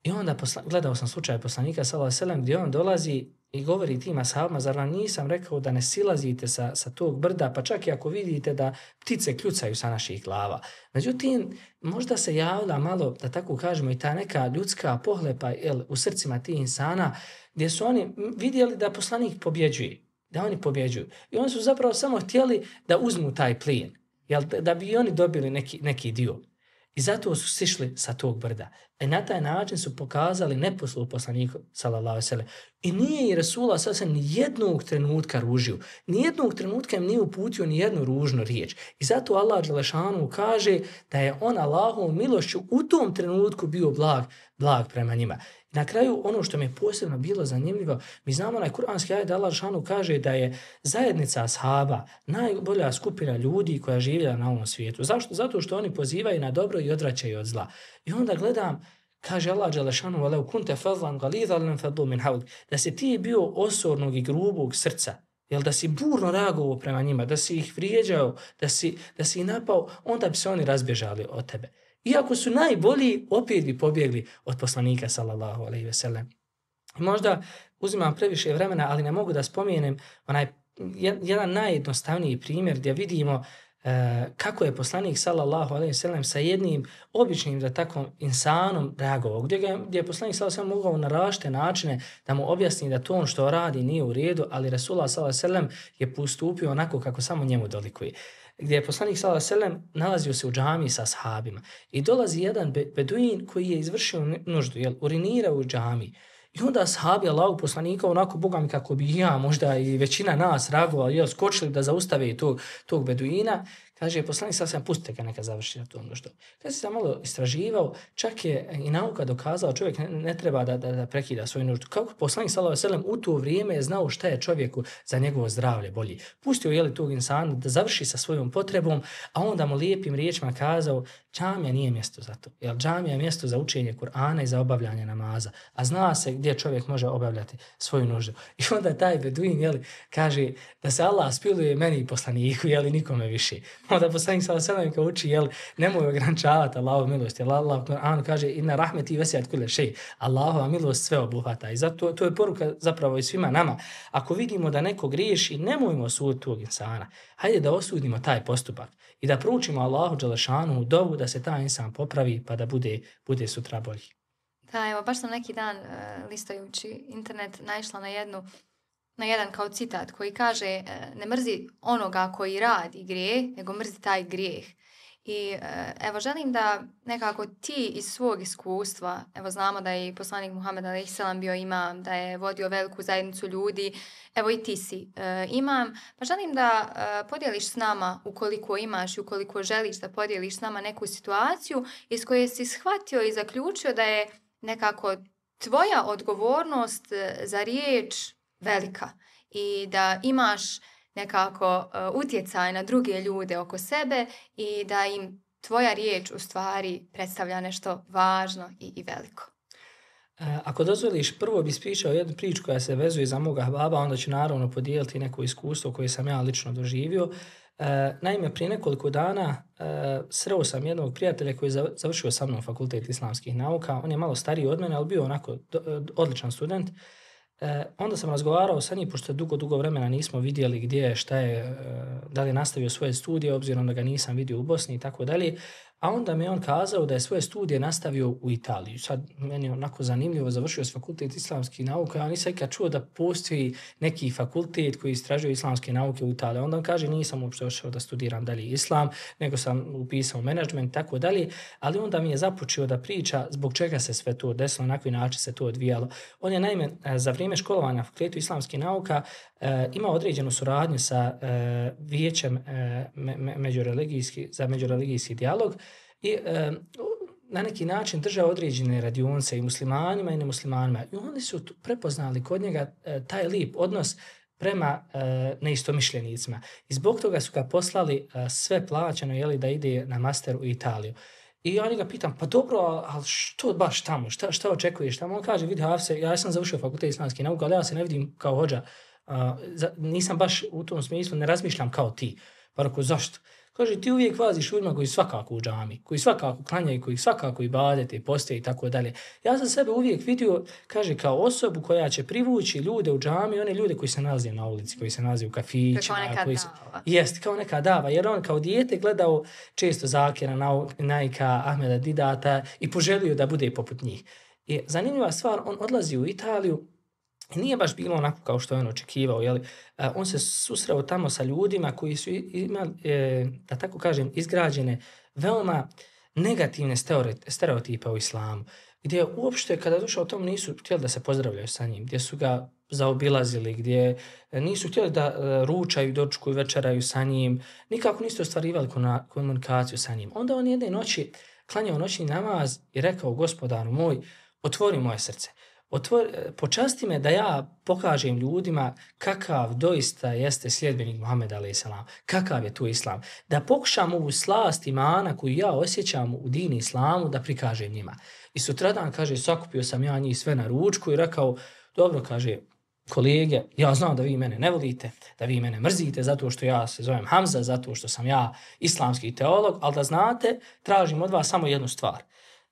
I onda posla, gledao sam slučaj poslanika sallallahu alejhi ve sellem gdje on dolazi i govori tim ashabima, zar vam nisam rekao da ne silazite sa, sa tog brda, pa čak i ako vidite da ptice kljucaju sa naših glava. Međutim, možda se javlja malo, da tako kažemo, i ta neka ljudska pohlepa, jel, u srcima tih insana, gdje su oni vidjeli da poslanik pobjeđuje, da oni pobjeđuju. I oni su zapravo samo htjeli da uzmu taj plijen, jel, da bi oni dobili neki, neki dio. I zato su sišli sa tog brda. I na taj način su pokazali neposluh poslaniku sallallahu alejhi ve sellem. I nije i Resulullah sallallahu alejhi ve sellem ni jednog trenutka ružio. Ni jednog trenutka im nije uputio ni jednu ružnu riječ. I zato Allah dželešanu kaže da je on Allahovom milošću u tom trenutku bio blag, blag prema njima. Na kraju, ono što mi je posebno bilo zanimljivo, mi znamo na kuranski ajet da Allah dželešanu kaže da je zajednica ashaba najbolja skupina ljudi koja živjela na ovom svijetu. Zašto? Zato što oni pozivaju na dobro i odvraćaju od zla. I onda gledam, kaže Allah dželešanu, وَلَوْ كُنْتَ فَضًا غَلِيظًا لَنْفَضُّوا مِنْ حَوْلِكَ. Da si ti bio osornog i grubog srca, jel, da si burno reagovao prema njima, da si ih vrijeđao, da si, da si ih napao, onda bi se oni razbježali od tebe. Iako su najbolji, opet bi pobjegli od poslanika sallallahu alejhi ve sellem. Možda uzimam previše vremena, ali ne mogu da spomenem onaj jedan najjednostavniji primjer gdje vidimo e, kako je poslanik sallallahu alejhi ve sellem sa jednim običnim, da tako, insanom reagovao, gdje, ga, gdje je poslanik sallallahu alejhi ve sellem mogao na različite načine da mu objasni da to on što radi nije u redu, ali Resulullah sallallahu alejhi ve sellem je postupio onako kako samo njemu dolikuje. Gdje je poslanik sallallahu alejhi ve sellem nalazio se u džamiji sa ashabima i dolazi jedan beduin koji je izvršio nuždu, jel, urinirao u džamiji. I onda ashabi Allahu poslanika, onako bogami kako bi ja, možda i većina nas reagovali, jel, skočili da zaustave tog, tog beduina. Kaže, poslanik sallallahu alejhi ve sellem, pustite ga neka završi na tom nuždu. Kad se sam malo istraživao, čak je i nauka dokazala, čovjek ne, ne treba da, da, da prekida svoju nuždu. Kako poslanik sallallahu alejhi ve sellem u to vrijeme je znao šta je čovjeku za njegovo zdravlje bolji. Pustio je li tog insana da završi sa svojom potrebom, a onda mu lijepim riječima kazao, džamija nije mjesto za to. Jer džamija je mjesto za učenje Kur'ana i za obavljanje namaza. A zna se gdje čovjek može obavljati svoju nuždu. I onda taj beduin, jeli, kaže da se Allah spiluje meni i poslaniku, jeli, nikome više. Onda poslanik sallallahu alejhi ve sellem uči, jel, nemoj ograničavati Allahovu milost. Jer Allah u Kur'anu kaže, inna rahmeti vesiat kulle šej. Allahova milost sve obuhvata. I zato to je poruka zapravo i svima nama. Ako vidimo da neko griješi, nemojmo osuditi tog insana. Hajde da osudimo taj postupak i da proučimo Allahu dželešanu u dovu da se taj insan popravi pa da bude, bude sutra bolji. Da, evo, baš sam neki dan uh, listajući internet naišla na jednu na jedan kao citat koji kaže uh, ne mrzi onoga koji radi grijeh, nego mrzi taj grijeh. I uh, evo, želim da nekako ti iz svog iskustva, evo znamo da je i poslanik Muhammed alejhi selam bio imam, da je vodio veliku zajednicu ljudi, evo i ti si uh, imam, pa želim da uh, podijeliš s nama, ukoliko imaš i ukoliko želiš da podijeliš s nama neku situaciju iz koje si shvatio i zaključio da je nekako tvoja odgovornost za riječ velika i da imaš nekako uh, utjecaj na druge ljude oko sebe i da im tvoja riječ u stvari predstavlja nešto važno i, i veliko. E, ako dozvoliš, prvo bi ispričao jednu priču koja se vezuje za moga baba, onda ću naravno podijeliti neko iskustvo koje sam ja lično doživio. E, naime, prije nekoliko dana e, sreo sam jednog prijatelja koji je završio sa mnom fakultet islamskih nauka. On je malo stariji od mene, ali bio onako do, odličan student. E, onda sam razgovarao sa njim, pošto dugo, dugo vremena nismo vidjeli gdje je, šta je, e, da li je nastavio svoje studije, obzirom da ga nisam vidio u Bosni i tako dalje. a onda mi je on kazao da je svoje studije nastavio u Italiji. Sad meni je onako zanimljivo, završio s fakultet islamskih nauka, ja nisam ikad čuo da postoji neki fakultet koji istražuje islamske nauke u Italiji. Onda on kaže nisam uopšte ošao da studiram dalje islam, nego sam upisao menadžment i tako dalje, ali onda mi je započeo da priča zbog čega se sve to desilo, na koji način se to odvijalo. On je naime za vrijeme školovanja na fakultetu islamskih nauka e, imao određenu suradnju sa e, vijećem e, me, me, međureligijski, za međureligijski dijalog i e, na neki način držao određene radionice i muslimanima i nemuslimanima. I oni su prepoznali kod njega e, taj lijep odnos prema e, neistomišljenicima. I zbog toga su ga poslali e, sve plaćeno jeli, da ide na master u Italiju. I ja ga pitam, pa dobro, ali što baš tamo, šta, šta očekuješ tamo? On kaže, vidi Hafse, ja sam završio fakultet islamskih nauka, ali ja se ne vidim kao hođa, uh, za, nisam baš u tom smislu, ne razmišljam kao ti. Pa rekao, zašto? Kaže, ti uvijek vaziš ljudima koji svakako u džami, koji svakako klanjaju, koji svakako i badete, i postoje i tako dalje. Ja sam sebe uvijek vidio, kaže, kao osobu koja će privući ljude u džami, one ljude koji se nalaze na ulici, koji se nalaze u kafićima. Kao neka koji se, dava. Jest, kao neka dava, jer on kao dijete gledao često Zakira, Naika, Ahmeda Didata i poželio da bude poput njih. I zanimljiva stvar, on odlazi u Italiju, nije baš bilo onako kao što je on očekivao, jeli? On se susreo tamo sa ljudima koji su imali, da tako kažem, izgrađene veoma negativne stereotipe u islamu, gdje uopšte kada došao tom nisu htjeli da se pozdravljaju sa njim, gdje su ga zaobilazili, gdje nisu htjeli da ručaju, dočekuju, večeraju sa njim, nikako nisu ostvarivali komunikaciju sa njim. Onda on jedne noći klanjao noćni namaz i rekao, gospodaru moj, otvori moje srce. Otvor, počasti me da ja pokažem ljudima kakav doista jeste sljedbenik Muhameda alejhi selam, kakav je tu islam. Da pokušam ovu slast imana koju ja osjećam u dini islamu da prikažem njima. I sutradan, kaže, sakupio sam ja njih sve na ručku i rekao, dobro, kaže, kolege, ja znam da vi mene ne volite, da vi mene mrzite zato što ja se zovem Hamza, zato što sam ja islamski teolog, ali da znate, tražim od vas samo jednu stvar.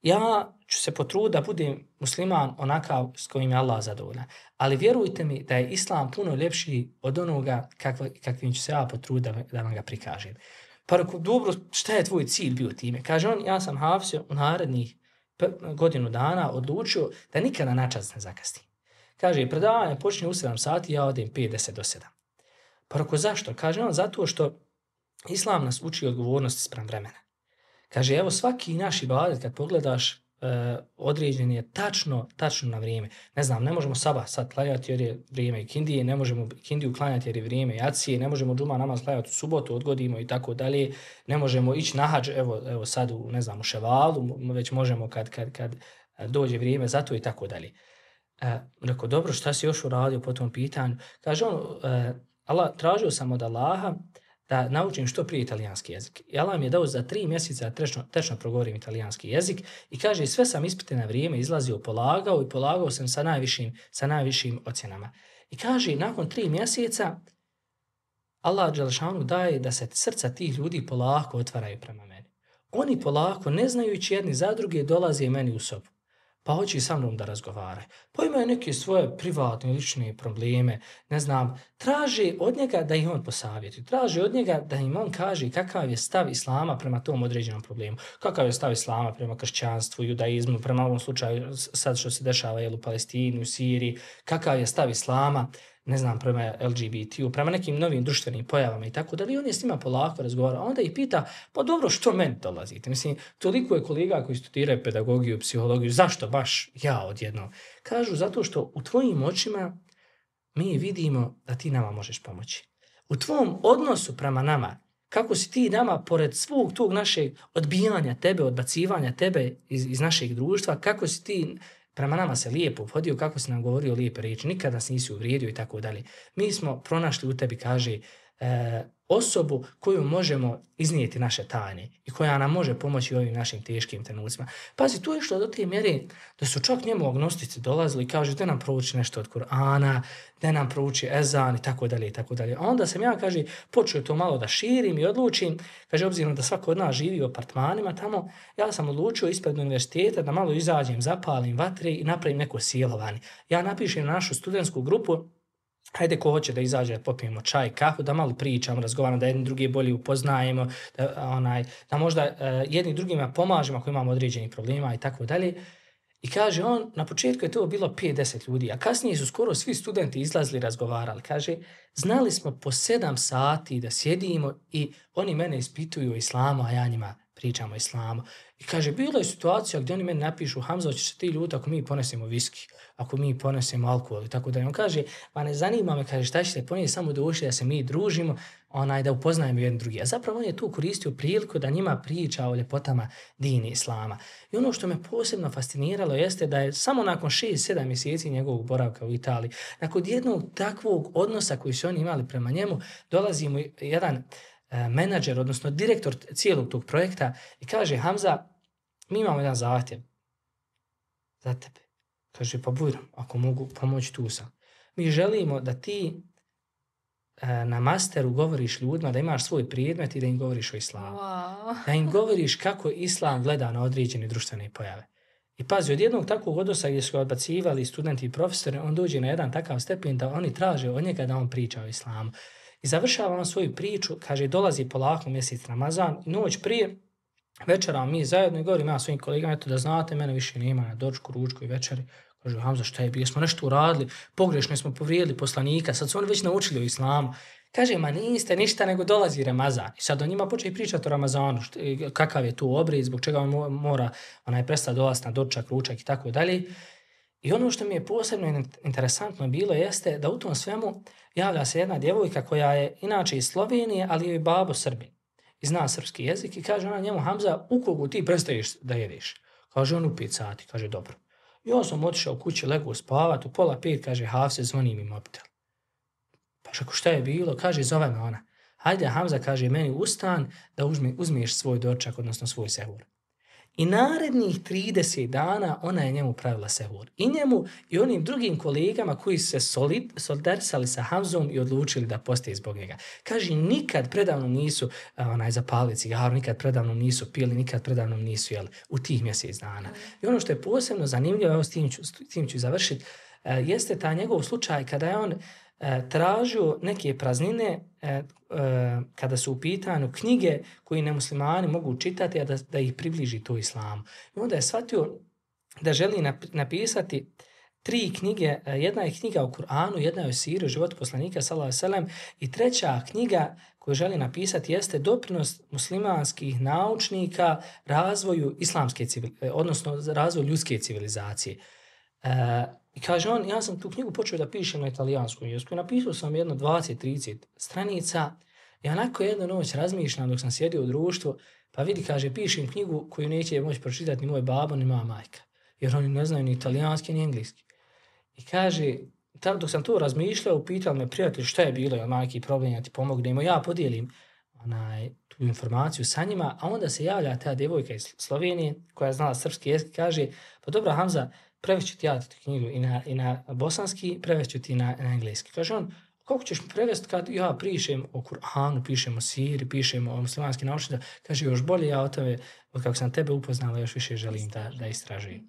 Ja ću se potruditi da budem musliman onakav s kojim je Allah zadovoljan. Ali vjerujte mi da je islam puno ljepši od onoga kakva, kakvim ću se ja potruditi da, da vam ga prikažem. Pa rekao, dobro, šta je tvoj cilj bio time? Kaže on, ja sam Hafsio u narednih godinu dana odlučio da nikada na čas ne zakasnim. Kaže, predavanje počne u sedam sati, ja odem pet deset do sedam. Pa rekao, zašto? Kaže on, zato što islam nas uči odgovornosti spram vremena. Kaže, evo svaki naš ibadet kad pogledaš uh, određen je tačno, tačno na vrijeme. Ne znam, ne možemo sabah sad klanjati jer je vrijeme ikindije, ne možemo ikindiju klanjati jer je vrijeme jacije, ne možemo džuma namaz klanjati u subotu, odgodimo i tako dalje, ne možemo ići na hadž, evo, evo sad u, ne znam, u ševalu, već možemo kad, kad, kad dođe vrijeme za to i tako dalje. Uh, rekao, dobro, šta si još uradio po tom pitanju? Kaže on, uh, Allah, tražio sam od Allaha da naučim što prije italijanski jezik. I Allah mi je dao za tri mjeseca tečno, tečno progovorim italijanski jezik i kaže, sve sam ispite na vrijeme izlazio, polagao i polagao sam sa najvišim, sa najvišim ocjenama. I kaže, nakon tri mjeseca Allah dželešanu daje da se srca tih ljudi polako otvaraju prema meni. Oni polako, ne znajući jedni za druge, dolaze meni u sobu. Pa hoće sa mnom da razgovaraju. Pa imaju neke svoje privatne, lične probleme, ne znam, traže od njega da ih on posavjeti. Traže od njega da im on kaže kakav je stav islama prema tom određenom problemu. Kakav je stav islama prema kršćanstvu, judaizmu, prema ovom slučaju sad što se dešava jel, u Palestini, u Siriji. Kakav je stav islama, ne znam, prema L G B T U, prema nekim novim društvenim pojavama i tako da li on je s njima polako razgovara. A onda ih pita, pa dobro, što meni dolazite? Mislim, toliko je kolega koji studiraju pedagogiju, psihologiju, zašto baš ja odjednom? Kažu, zato što u tvojim očima mi vidimo da ti nama možeš pomoći. U tvom odnosu prema nama, kako si ti nama, pored svog tog našeg odbijanja tebe, odbacivanja tebe iz, iz našeg društva, kako si ti prema nama se lijepo obhodio, kako si nam govorio lijepe riječi, nikada nas nisi uvrijedio i tako dalje. Mi smo pronašli u tebi, kaže, e, osobu koju možemo iznijeti naše tajne i koja nam može pomoći u ovim našim teškim trenucima. Pazi, tu je što do te mjere da su čak njemu agnostici dolazili i kažu da nam prouči nešto od Kur'ana, da nam prouči ezan i tako dalje i tako dalje. A onda sam ja, kaže, počeo to malo da širim i odlučim, kaže, obzirom da svako od nas živi u apartmanima tamo, ja sam odlučio ispred univerziteta da malo izađem, zapalim vatre i napravim neko silovanje. Ja napišem na našu studentsku grupu hajde ko hoće da izađe, da popijemo čaj, kafu, da malo pričamo, razgovaramo, da jedni drugi bolje upoznajemo, da, onaj, da možda uh, jedni drugima pomažemo ako imamo određenih problema i tako dalje. I kaže on, na početku je to bilo pet do deset ljudi, a kasnije su skoro svi studenti izlazili, razgovarali. Kaže, znali smo po sedam sati da sjedimo i oni mene ispituju o islamu, a ja njima pričam o islamu. I kaže, bila je situacija gdje oni meni napišu, Hamza, hoćeš se ti ljuti ako mi ponesemo viski, ako mi ponesemo alkohol i tako da. On kaže, ma ne zanima me, kaže, šta ćete ponijeti, samo došli da se mi družimo, onaj, da upoznajemo jedan drugi. A zapravo on je tu koristio priliku da njima priča o ljepotama dini islama. I ono što me posebno fasciniralo jeste da je samo nakon šest sedam mjeseci njegovog boravka u Italiji, nakon jednog takvog odnosa koji su oni imali prema njemu, dolazi mu jedan menadžer, odnosno direktor cijelog tog projekta i kaže, Hamza, mi imamo jedan zahtjev za tebe. Kaže, pa bujram, ako mogu pomoći, tu sam. Mi želimo da ti e, na masteru govoriš ljudima, da imaš svoj predmet i da im govoriš o islamu. Wow. Da im govoriš kako islam gleda na određene društvene pojave. I pazi, od jednog takvog odnosa gdje su odbacivali studenti i profesori, on dođe na jedan takav stepen da oni traže od njega da on priča o islamu. I završava on svoju priču, kaže, dolazi polako mjesec Ramazan, noć prije, večera mi zajedno i govorim ja svojim kolegama, eto da znate, mene više nema na dočku, ručku i večeri. Kaže, Hamza, šta je bilo? Smo nešto uradili, pogrešno smo povrijedili poslanika, sad su oni već naučili o islamu. Kaže, ma niste ništa, nego dolazi Ramazan. I sad on njima počne pričati o Ramazanu, što, kakav je tu obred, zbog čega on mora onaj prestati dolaziti na dočak, ručak i tako dalje. I ono što mi je posebno interesantno bilo jeste da u tom svemu javlja se jedna djevojka koja je inače iz Slovenije, ali je babo Srbin. I zna srpski jezik i kaže ona njemu, Hamza, u kogu ti prestaješ da jedeš? Kaže on u pet sati, kaže dobro. I ja sam otišao u kući, legu spavat, u pola pet, kaže, Hafse, zvoni mi mobitel. Pa šako, šta je bilo? Kaže, zove me ona. Hajde, Hamza, kaže, meni ustan da uzmi, uzmiješ svoj dočak, odnosno svoj sehur. I narednih trideset dana ona je njemu pravila sehur. I njemu i onim drugim kolegama koji se solid, solidarisali sa Hamzom i odlučili da postaje zbog njega. Kaže, nikad predavno nisu onaj, zapalili cigaru, nikad predavno nisu pili, nikad predavno nisu jeli u tih mjesec dana. I ono što je posebno zanimljivo, evo s tim ću, s tim ću završiti, jeste ta njegov slučaj kada je on tražio neke praznine e, e, kada su u pitanju knjige koje nemuslimani mogu čitati, a da, da ih približi to islamu. I onda je shvatio da želi napisati tri knjige. Jedna je knjiga o Kur'anu, jedna je o siru, životu poslanika, sallallahu alejhi ve sellem, i treća knjiga koju želi napisati jeste doprinos muslimanskih naučnika razvoju islamske civilizacije, odnosno razvoju ljudske civilizacije. E, I kaže on, ja sam tu knjigu počeo da pišem na italijanskom jeziku i napisao sam jedno dvadeset trideset stranica i onako jednu noć razmišljam dok sam sjedio u društvu, pa vidi, kaže, pišem knjigu koju neće moći pročitati ni moj babo ni moja majka, jer oni ne znaju ni italijanski ni engleski. I kaže, tam dok sam to razmišljao, pitao me prijatelj šta je bilo, jel majki problem, ja ti pomognemo, ja podijelim onaj, tu informaciju sa njima, a onda se javlja ta djevojka iz Slovenije koja je znala srpski jezik, kaže, pa dobro Hamza, prevešću ti ja tu knjigu i na, i na bosanski, prevešću ti na, na engleski. Kaže on, kako ćeš mi prevesti kad ja pišem o Kur'anu, pišem o siri, pišem o muslimanskim naučnicama? Kaže, još bolje ja o tome, od kako sam tebe upoznala, još više želim da, da istražujem.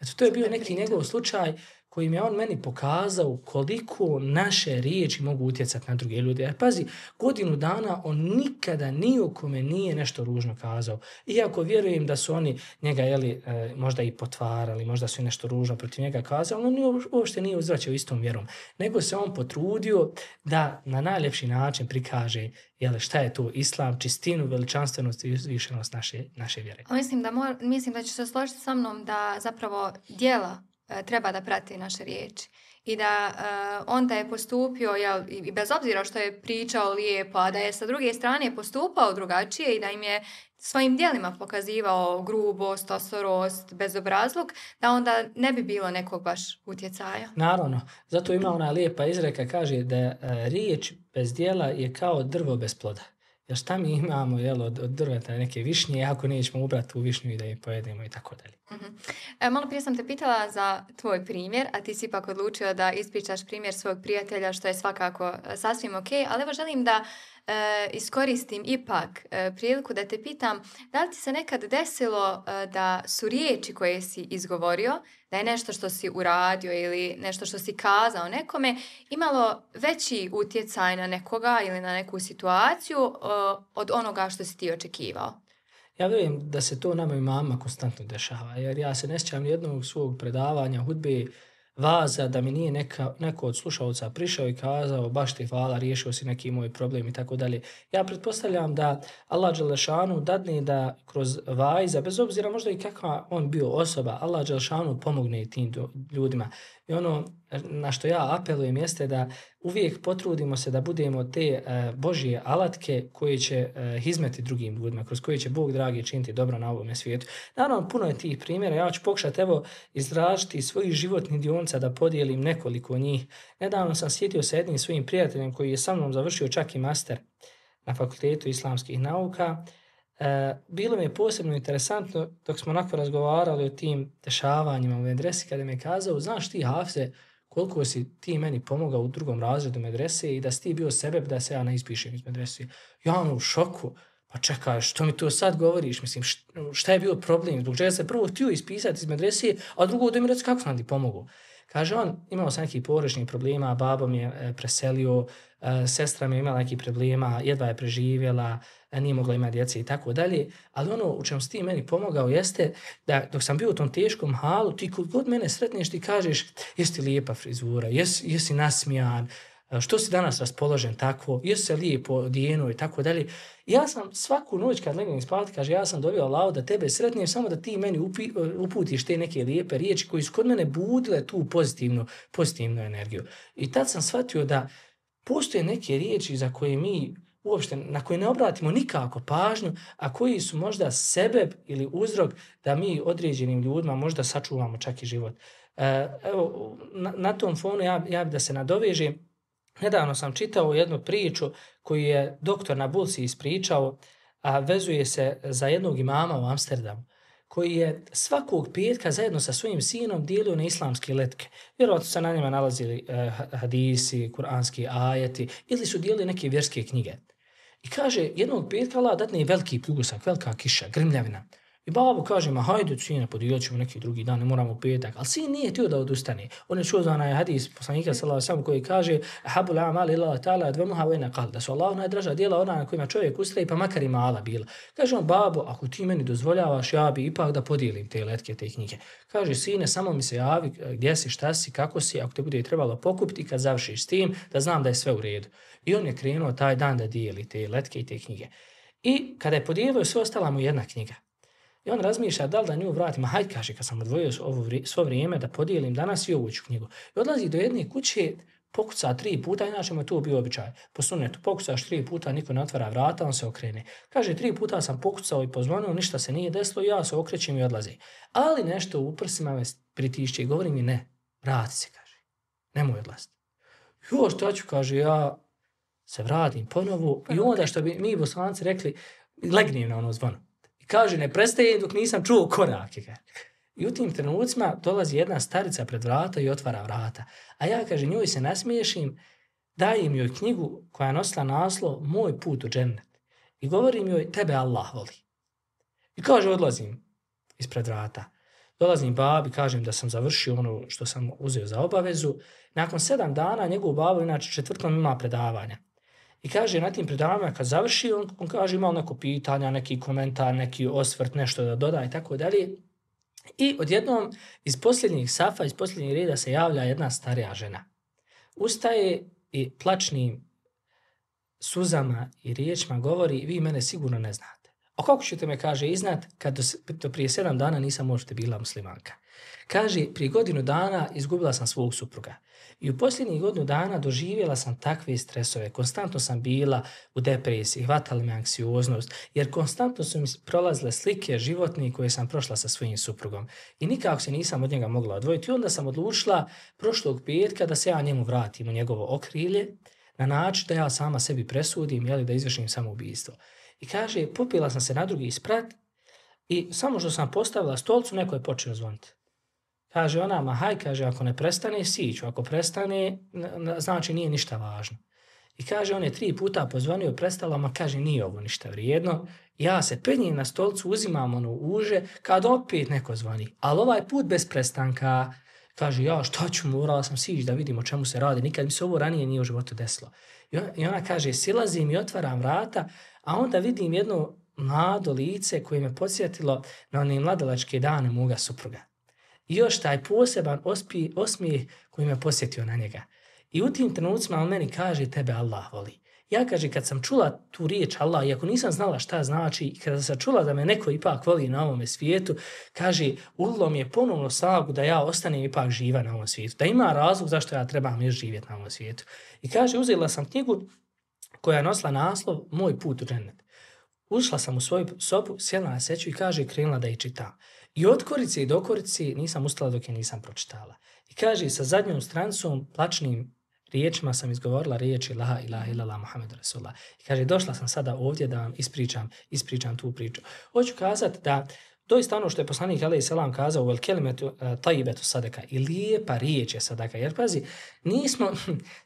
Eto, to je bio neki njegov slučaj kojim je on meni pokazao koliko naše riječi mogu utjecati na druge ljude. Jer pazi, godinu dana on nikada ni o kome nije nešto ružno kazao. Iako vjerujem da su oni njega jeli, e, možda i potvarali, možda su i nešto ružno protiv njega kazali, on uopšte nije uzvraćao istom vjerom. Nego se on potrudio da na najljepši način prikaže jeli, šta je to islam, čistinu, veličanstvenost i uzvišenost naše, naše vjere. Mislim da, mor, mislim da ćeš se složiti sa mnom da zapravo djela treba da prati naše riječi. I da uh, on da je postupio, jel, i bez obzira što je pričao lijepo, a da je sa druge strane postupao drugačije i da im je svojim djelima pokazivao grubost, osorost, bezobrazluk, da onda ne bi bilo nekog baš utjecaja. Naravno, zato ima ona lijepa izreka, kaže da uh, riječ bez djela je kao drvo bez ploda. Jer šta mi imamo jel, od, od drveta neke višnje, ako nećemo ubrati tu višnju i da je pojedemo i tako dalje. Uh-huh. E, malo prije sam te pitala za tvoj primjer, a ti si ipak odlučio da ispričaš primjer svog prijatelja, što je svakako sasvim ok, ali evo želim da e, iskoristim ipak e, priliku da te pitam, da li ti se nekad desilo e, da su riječi koje si izgovorio da je nešto što si uradio ili nešto što si kazao nekome imalo veći utjecaj na nekoga ili na neku situaciju uh, od onoga što si ti očekivao? Ja vjerujem da se to nama i mama konstantno dešava, jer ja se ne sjećam nijednog svog predavanja, hudbe, vaza, da mi nije neka, neko od slušalca prišao i kazao baš ti hvala, riješio si neki moj problem i tako dalje. Ja pretpostavljam da Allah dželešanu dadne da kroz vajza, bez obzira možda i kakva on bio osoba, Allah dželešanu pomogne tim ljudima. I ono na što ja apelujem jeste da uvijek potrudimo se da budemo te uh, Božje alatke koje će uh, hizmeti drugim ljudima, kroz koje će Bog dragi činiti dobro na ovome svijetu. Naravno, puno je tih primjera. Ja ću pokušati evo izražiti svojih životnih dionica da podijelim nekoliko njih. Nedavno sam sjetio sa jednim svojim prijateljem koji je sa mnom završio čak i master na Fakultetu islamskih nauka. E, bilo mi je posebno interesantno dok smo onako razgovarali o tim dešavanjima u medresi kada mi je kazao, znaš ti Hafize koliko si ti meni pomogao u drugom razredu medrese i da si ti bio sebeb da se ja ne ispišem iz medrese. Ja ono u šoku, pa čekaj, što mi to sad govoriš, mislim, šta je bio problem, zbog čega se prvo htio ispisati iz medrese, a drugo da mi reći kako sam ti pomogao. Kaže on, imao sam nekih porodičnih problema, babo mi je preselio, sestra mi je imala nekih problema, jedva je preživjela, nije mogla imati djece i tako dalje, ali ono u čemu si ti meni pomogao jeste da dok sam bio u tom teškom halu, ti kod god mene sretneš ti kažeš jesi ti lijepa frizura, jesi, jesi nasmijan, što si danas raspoložen tako, jesi se lijepo odijeno i tako dalje. Ja sam svaku noć kad legnem spavati, kaže ja sam dobio Allahu da tebe sretnem samo da ti meni upi, uputiš te neke lijepe riječi koji su kod mene budile tu pozitivnu, pozitivnu energiju. I tad sam shvatio da postoje neke riječi za koje mi uopšte, na koje ne obratimo nikako pažnju, a koji su možda sebeb ili uzrok da mi određenim ljudima možda sačuvamo čak i život. E, evo, na, na tom fonu ja, ja bi da se nadovežem. Nedavno sam čitao jednu priču koju je doktor na Bulsi ispričao, a vezuje se za jednog imama u Amsterdamu, koji je svakog petka zajedno sa svojim sinom dijelio na islamske letke. Vjerojatno se na njima nalazili eh, hadisi, kuranski ajeti ili su dijelili neke vjerske knjige. I kaže, jednog petka Allah datne veliki pljusak, velika kiša, grmljavina. I babo kaže, ma hajde sine, podijelit ćemo neki drugi dan, ne moramo u petak. Ali sin nije htio da odustane. On je čuo za onaj hadis poslanika sallallahu alejhi ve sellem koji kaže habul a'mal ila ta'ala advamuha wa in qal. Da su Allahu najdraža djela ona na kojima čovjek ustraje, pa makar i mala bila. Kaže on, babo, ako ti meni dozvoljavaš, ja bi ipak da podijelim te letke, te knjige. Kaže, sine, samo mi se javi gdje si, šta si, kako si, ako te bude trebalo pokupiti kad završiš s tim, da znam da je sve u redu. I on je krenuo taj dan da dijeli te letke i te knjige. I kada je podijelio, sve ostala mu jedna knjiga. I on razmišlja da li da nju vratim, a hajde, kaže, kad sam odvojio ovo vri, svo vrijeme da podijelim danas i ovu ću knjigu. I odlazi do jedne kuće, pokuca tri puta, inače mu je to bio običaj. Po sunnetu, pokucaš tri puta, niko ne otvara vrata, on se okrene. Kaže, tri puta sam pokucao i pozvonio, ništa se nije desilo, ja se okrećem i odlazi. Ali nešto u prsima me pritišće i govori mi ne, vrati se, kaže, nemoj odlaziti. Jo, što ću, kaže, ja se vratim ponovo i onda što bi mi Bosanci rekli, legnem na ono zvono. Kaže, ne prestaje dok nisam čuo korake. I u tim trenucima dolazi jedna starica pred vrata i otvara vrata. A ja, kaže, njoj se nasmiješim, dajem joj knjigu koja nosila naslov Moj put u džennet. I govorim joj, tebe Allah voli. I kaže, odlazim ispred vrata. Dolazim babi, kažem da sam završio ono što sam uzeo za obavezu. Nakon sedam dana njegov babo, inače četvrtkom, ima predavanja. I kaže, na tim predavanjima kad završi, on, on kaže imao neko pitanja, neki komentar, neki osvrt, nešto da doda i tako dalje. I odjednom iz posljednjih safa, iz posljednjih reda se javlja jedna starija žena. Ustaje i plačnim suzama i riječima govori, vi mene sigurno ne znate. A kako ćete me, kaže, iznat kad do, do prije sedam dana nisam možete bila muslimanka? Kaže, prije godinu dana izgubila sam svog supruga. I u posljednjih godinu dana doživjela sam takve stresove. Konstantno sam bila u depresiji, hvatala me anksioznost, jer konstantno su mi prolazile slike životne koje sam prošla sa svojim suprugom. I nikako se nisam od njega mogla odvojiti. I onda sam odlučila prošlog petka da se ja njemu vratim u njegovo okrilje, na način da ja sama sebi presudim, jeli, da izvršim samoubistvo. I kaže, popila sam se na drugi sprat i samo što sam postavila stolcu, neko je počeo zvoniti. Kaže ona, ma haj, kaže, ako ne prestane, siću. Ako prestane, znači nije ništa važno. I kaže, on je tri puta pozvonio, prestalo, ma kaže, nije ovo ništa vrijedno. Ja se penjem na stolcu, uzimam ono uže, kad opet neko zvoni. Ali ovaj put bez prestanka. Kaže, ja šta ću, morala sam sići da vidim o čemu se radi. Nikad mi se ovo ranije nije u životu desilo. I ona kaže, silazim i otvaram vrata, a onda vidim jedno mlado lice koje me podsjetilo na one mladalačke dane moga supruga. I još taj poseban ospi, osmijeh koji me posjetio na njega. I u tim trenucima on meni kaže, tebe Allah voli. Ja, kaže, kad sam čula tu riječ Allah, iako nisam znala šta znači, i kada sam čula da me neko ipak voli na ovome svijetu, kaže, ulilo mi je ponovno snagu da ja ostanem ipak živa na ovom svijetu. Da ima razlog zašto ja trebam još živjeti na ovom svijetu. I kaže, uzela sam knjigu koja je nosila naslov Moj put u džennet. Ušla sam u svoju sobu, sjela na seću i kaže, krenula da je čitam. I od korice i do korice nisam ustala dok je nisam pročitala. I kaže, sa zadnjom strancom, plačnim riječima sam izgovorila riječi La ilaha illallah Muhammedu Rasulullah. I kaže, došla sam sada ovdje da vam ispričam, ispričam tu priču. Hoću kazati da doista ono što je poslanik alejhi selam kazao vel kelimetu tajibetu sadaka i lijepa riječ je sadaka. Jer pazi, nismo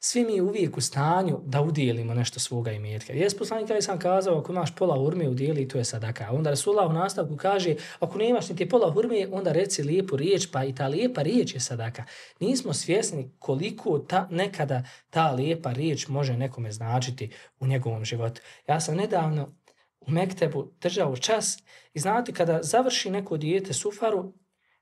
svi mi uvijek u stanju da udijelimo nešto svoga imetka. Jes poslanik alejhi selam kazao ako imaš pola hurme udijeli, to je sadaka. A onda Rasulullah u nastavku kaže ako nemaš niti pola hurme, onda reci lijepu riječ, pa i ta lijepa riječ je sadaka. Nismo svjesni koliko ta, nekada ta lijepa riječ može nekome značiti u njegovom životu. Ja sam nedavno u Mektebu držao čas i znate kada završi neko dijete sufaru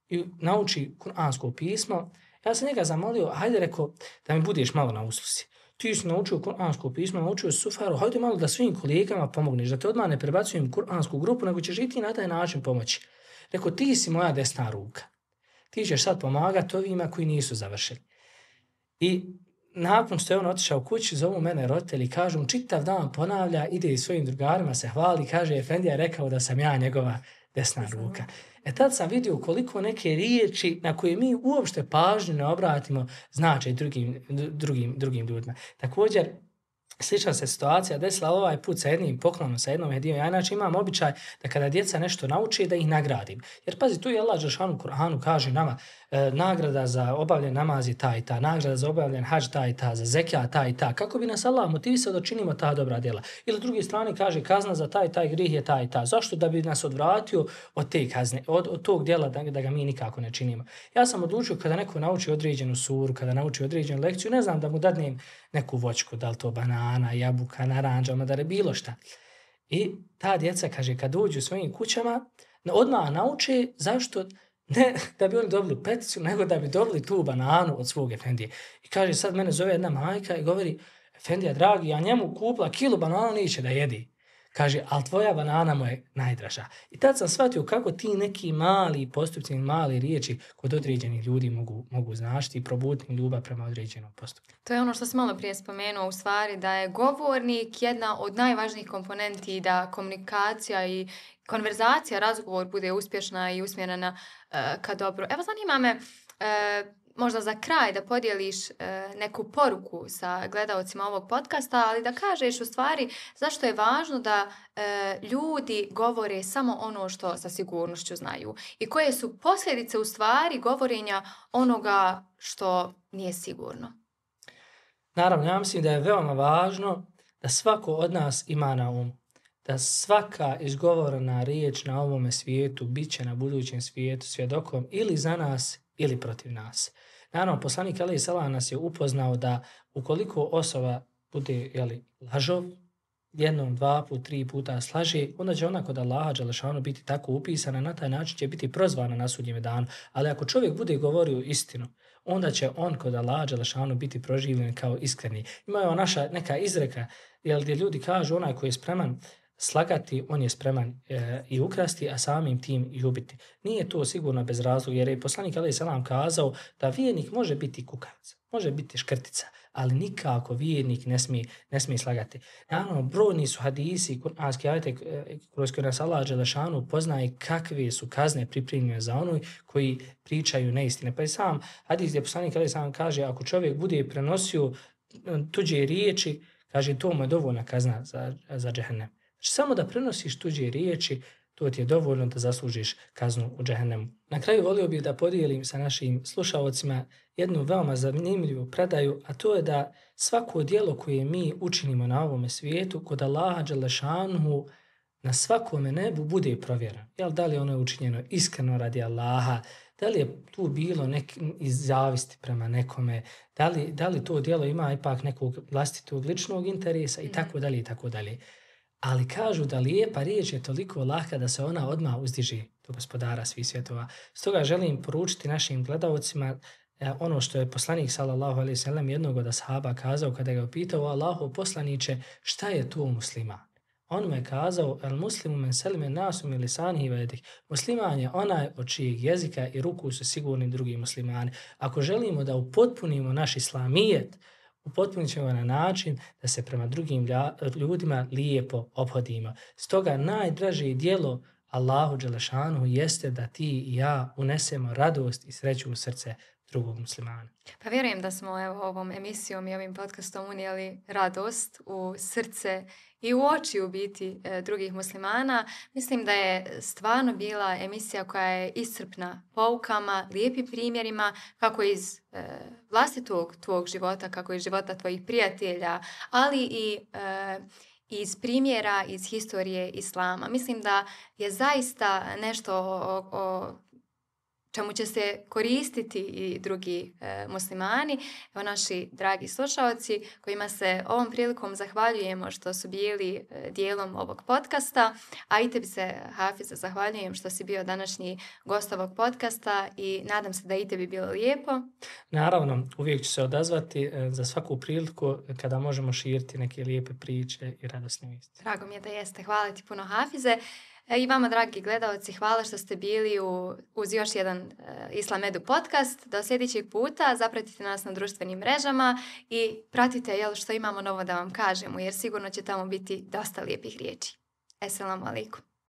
i nauči kuransko pismo, ja sam njega zamolio, hajde rekao da mi budeš malo na usluzi. Ti si naučio kuransko pismo, naučio sufaru, hajde malo da svim kolegama pomogneš, da te odmah ne prebacujem kuransku grupu, nego ćeš i ti na taj način pomoći. Rekao, ti si moja desna ruka. Ti ćeš sad pomagati ovima koji nisu završili. I nakon što je on otišao kući, zovu mene roditelji i kažu, čitav dan ponavlja, ide i svojim drugarima, se hvali, kaže, Efendija je rekao da sam ja njegova desna ruka. E tad sam vidio koliko neke riječi na koje mi uopšte pažnju ne obratimo znače drugim, drugim, drugim ljudima. Također, slična se situacija desila ovaj put sa jednim poklonom, sa jednom hedijom. Ja inače imam običaj da kada djeca nešto nauče da ih nagradim. Jer pazi, tu je Allah dželešanu u Kur'anu kaže nama e, nagrada za obavljen namaz je ta i ta, nagrada za obavljen hadž ta i ta, za zekija ta i ta. Kako bi nas Allah motivisao da činimo ta dobra djela? Ili s druge strane kaže kazna za taj taj grih je ta i ta. Zašto? Da bi nas odvratio od te kazne, od, od tog djela da, da ga mi nikako ne činimo. Ja sam odlučio kada neko nauči određenu suru, kada nauči određenu lekciju, ne znam da mu dadnem neku voćku, da li to banana, jabuka, naranđa, madare, bilo šta. I ta djeca, kaže, kad uđu u svojim kućama, odmah nauče zašto ne da bi oni dobili peticu, nego da bi dobili tu bananu od svog Efendije. I kaže, sad mene zove jedna majka i govori, Efendija, dragi, ja njemu kupila kilu banana, neće da jedi. Kaže, ali tvoja banana mu je najdraža. I tad sam shvatio kako ti neki mali postupci, mali riječi kod određenih ljudi mogu, mogu značiti i probuditi ljubav prema određenom postupku. To je ono što sam malo prije spomenuo, u stvari da je govornik jedna od najvažnijih komponenti da komunikacija i konverzacija, razgovor bude uspješna i usmjerena uh, ka dobro. Evo, zanima me, uh, možda za kraj da podijeliš e, neku poruku sa gledaocima ovog podcasta, ali da kažeš u stvari zašto je važno da e, ljudi govore samo ono što sa sigurnošću znaju i koje su posljedice u stvari govorenja onoga što nije sigurno. Naravno, ja mislim da je veoma važno da svako od nas ima na umu, da svaka izgovorena riječ na ovome svijetu bit će na budućem svijetu svjedokom ili za nas ili protiv nas. Naravno, poslanik alejhi selam nas je upoznao da ukoliko osoba bude jeli, lažov, jednom, dva put, tri puta slaže, onda će ona kod Allaha dželešanu biti tako upisana, na taj način će biti prozvana na sudnjem danu. Ali ako čovjek bude govorio istinu, onda će on kod Allaha dželešanu biti proživljen kao iskreni. Ima je naša neka izreka, jel, gdje ljudi kažu onaj koji je spreman slagati, on je spreman e, i ukrasti, a samim tim i ubiti. Nije to sigurno bez razloga, jer je poslanik alejhi selam kazao da vjernik može biti kukavica, može biti škrtica, ali nikako vjernik ne smije, ne smije slagati. Naravno, brojni su hadisi, kuranski ajete, kroz koje nas Allah dželešanu poznaje kakve su kazne pripremljene za onoj koji pričaju neistine. Pa i sam hadis gdje poslanik alejhi selam kaže, ako čovjek bude prenosio tuđe riječi, kaže, to mu je dovoljna kazna za, za džehennem. Znači, samo da prenosiš tuđe riječi, to ti je dovoljno da zaslužiš kaznu u džehennemu. Na kraju volio bih da podijelim sa našim slušaocima jednu veoma zanimljivu predaju, a to je da svako djelo koje mi učinimo na ovome svijetu, kod Allaha dželešanuhu, na svakome nebu bude provjera. Jel, da li ono je učinjeno iskreno radi Allaha, da li je tu bilo nek, iz zavisti prema nekome, da li, da li to djelo ima ipak nekog vlastitog ličnog interesa i tako dalje i tako dalje. Ali kažu da lijepa riječ je toliko lahka da se ona odmah uzdiže do Gospodara svih svjetova. Stoga želim poručiti našim gledaocima ono što je poslanik sallallahu alejhi ve sellem jednog od ashaba kazao kada ga je pitao: Allahov poslaniče, šta je to musliman? On mu je kazao: el muslimu men selime nasu min lisanihi ve yadihi. Musliman je onaj od čijeg jezika i ruku su sigurni drugi muslimani. Ako želimo da upotpunimo naš islamijet, upotpunit ćemo na način da se prema drugim ljudima lijepo ophodimo. Stoga najdraže djelo Allahu dželešanuhu jeste da ti i ja unesemo radost i sreću u srce drugog muslimana. Pa vjerujem da smo evo, ovom emisijom i ovim podcastom unijeli radost u srce i u oči u biti e, drugih muslimana. Mislim da je stvarno bila emisija koja je iscrpna poukama, lijepim primjerima, kako iz e, vlastitog tvog života, kako iz života tvojih prijatelja, ali i e, iz primjera iz historije islama. Mislim da je zaista nešto o, o čemu će se koristiti i drugi e, muslimani, evo naši dragi slušaoci kojima se ovom prilikom zahvaljujemo što su bili e, dijelom ovog podcasta, a i tebi se, Hafize, zahvaljujem što si bio današnji gost ovog podcasta i nadam se da i tebi bilo lijepo. Naravno, uvijek ću se odazvati e, za svaku priliku kada možemo širiti neke lijepe priče i radosne vijesti. Drago mi je da jeste. Hvala ti puno, Hafize. I vama, dragi gledalci, hvala što ste bili u, uz još jedan uh, Islam Edu podcast. Do sljedećeg puta zapratite nas na društvenim mrežama i pratite jel, što imamo novo da vam kažemo, jer sigurno će tamo biti dosta lijepih riječi. Esselamu alaikum.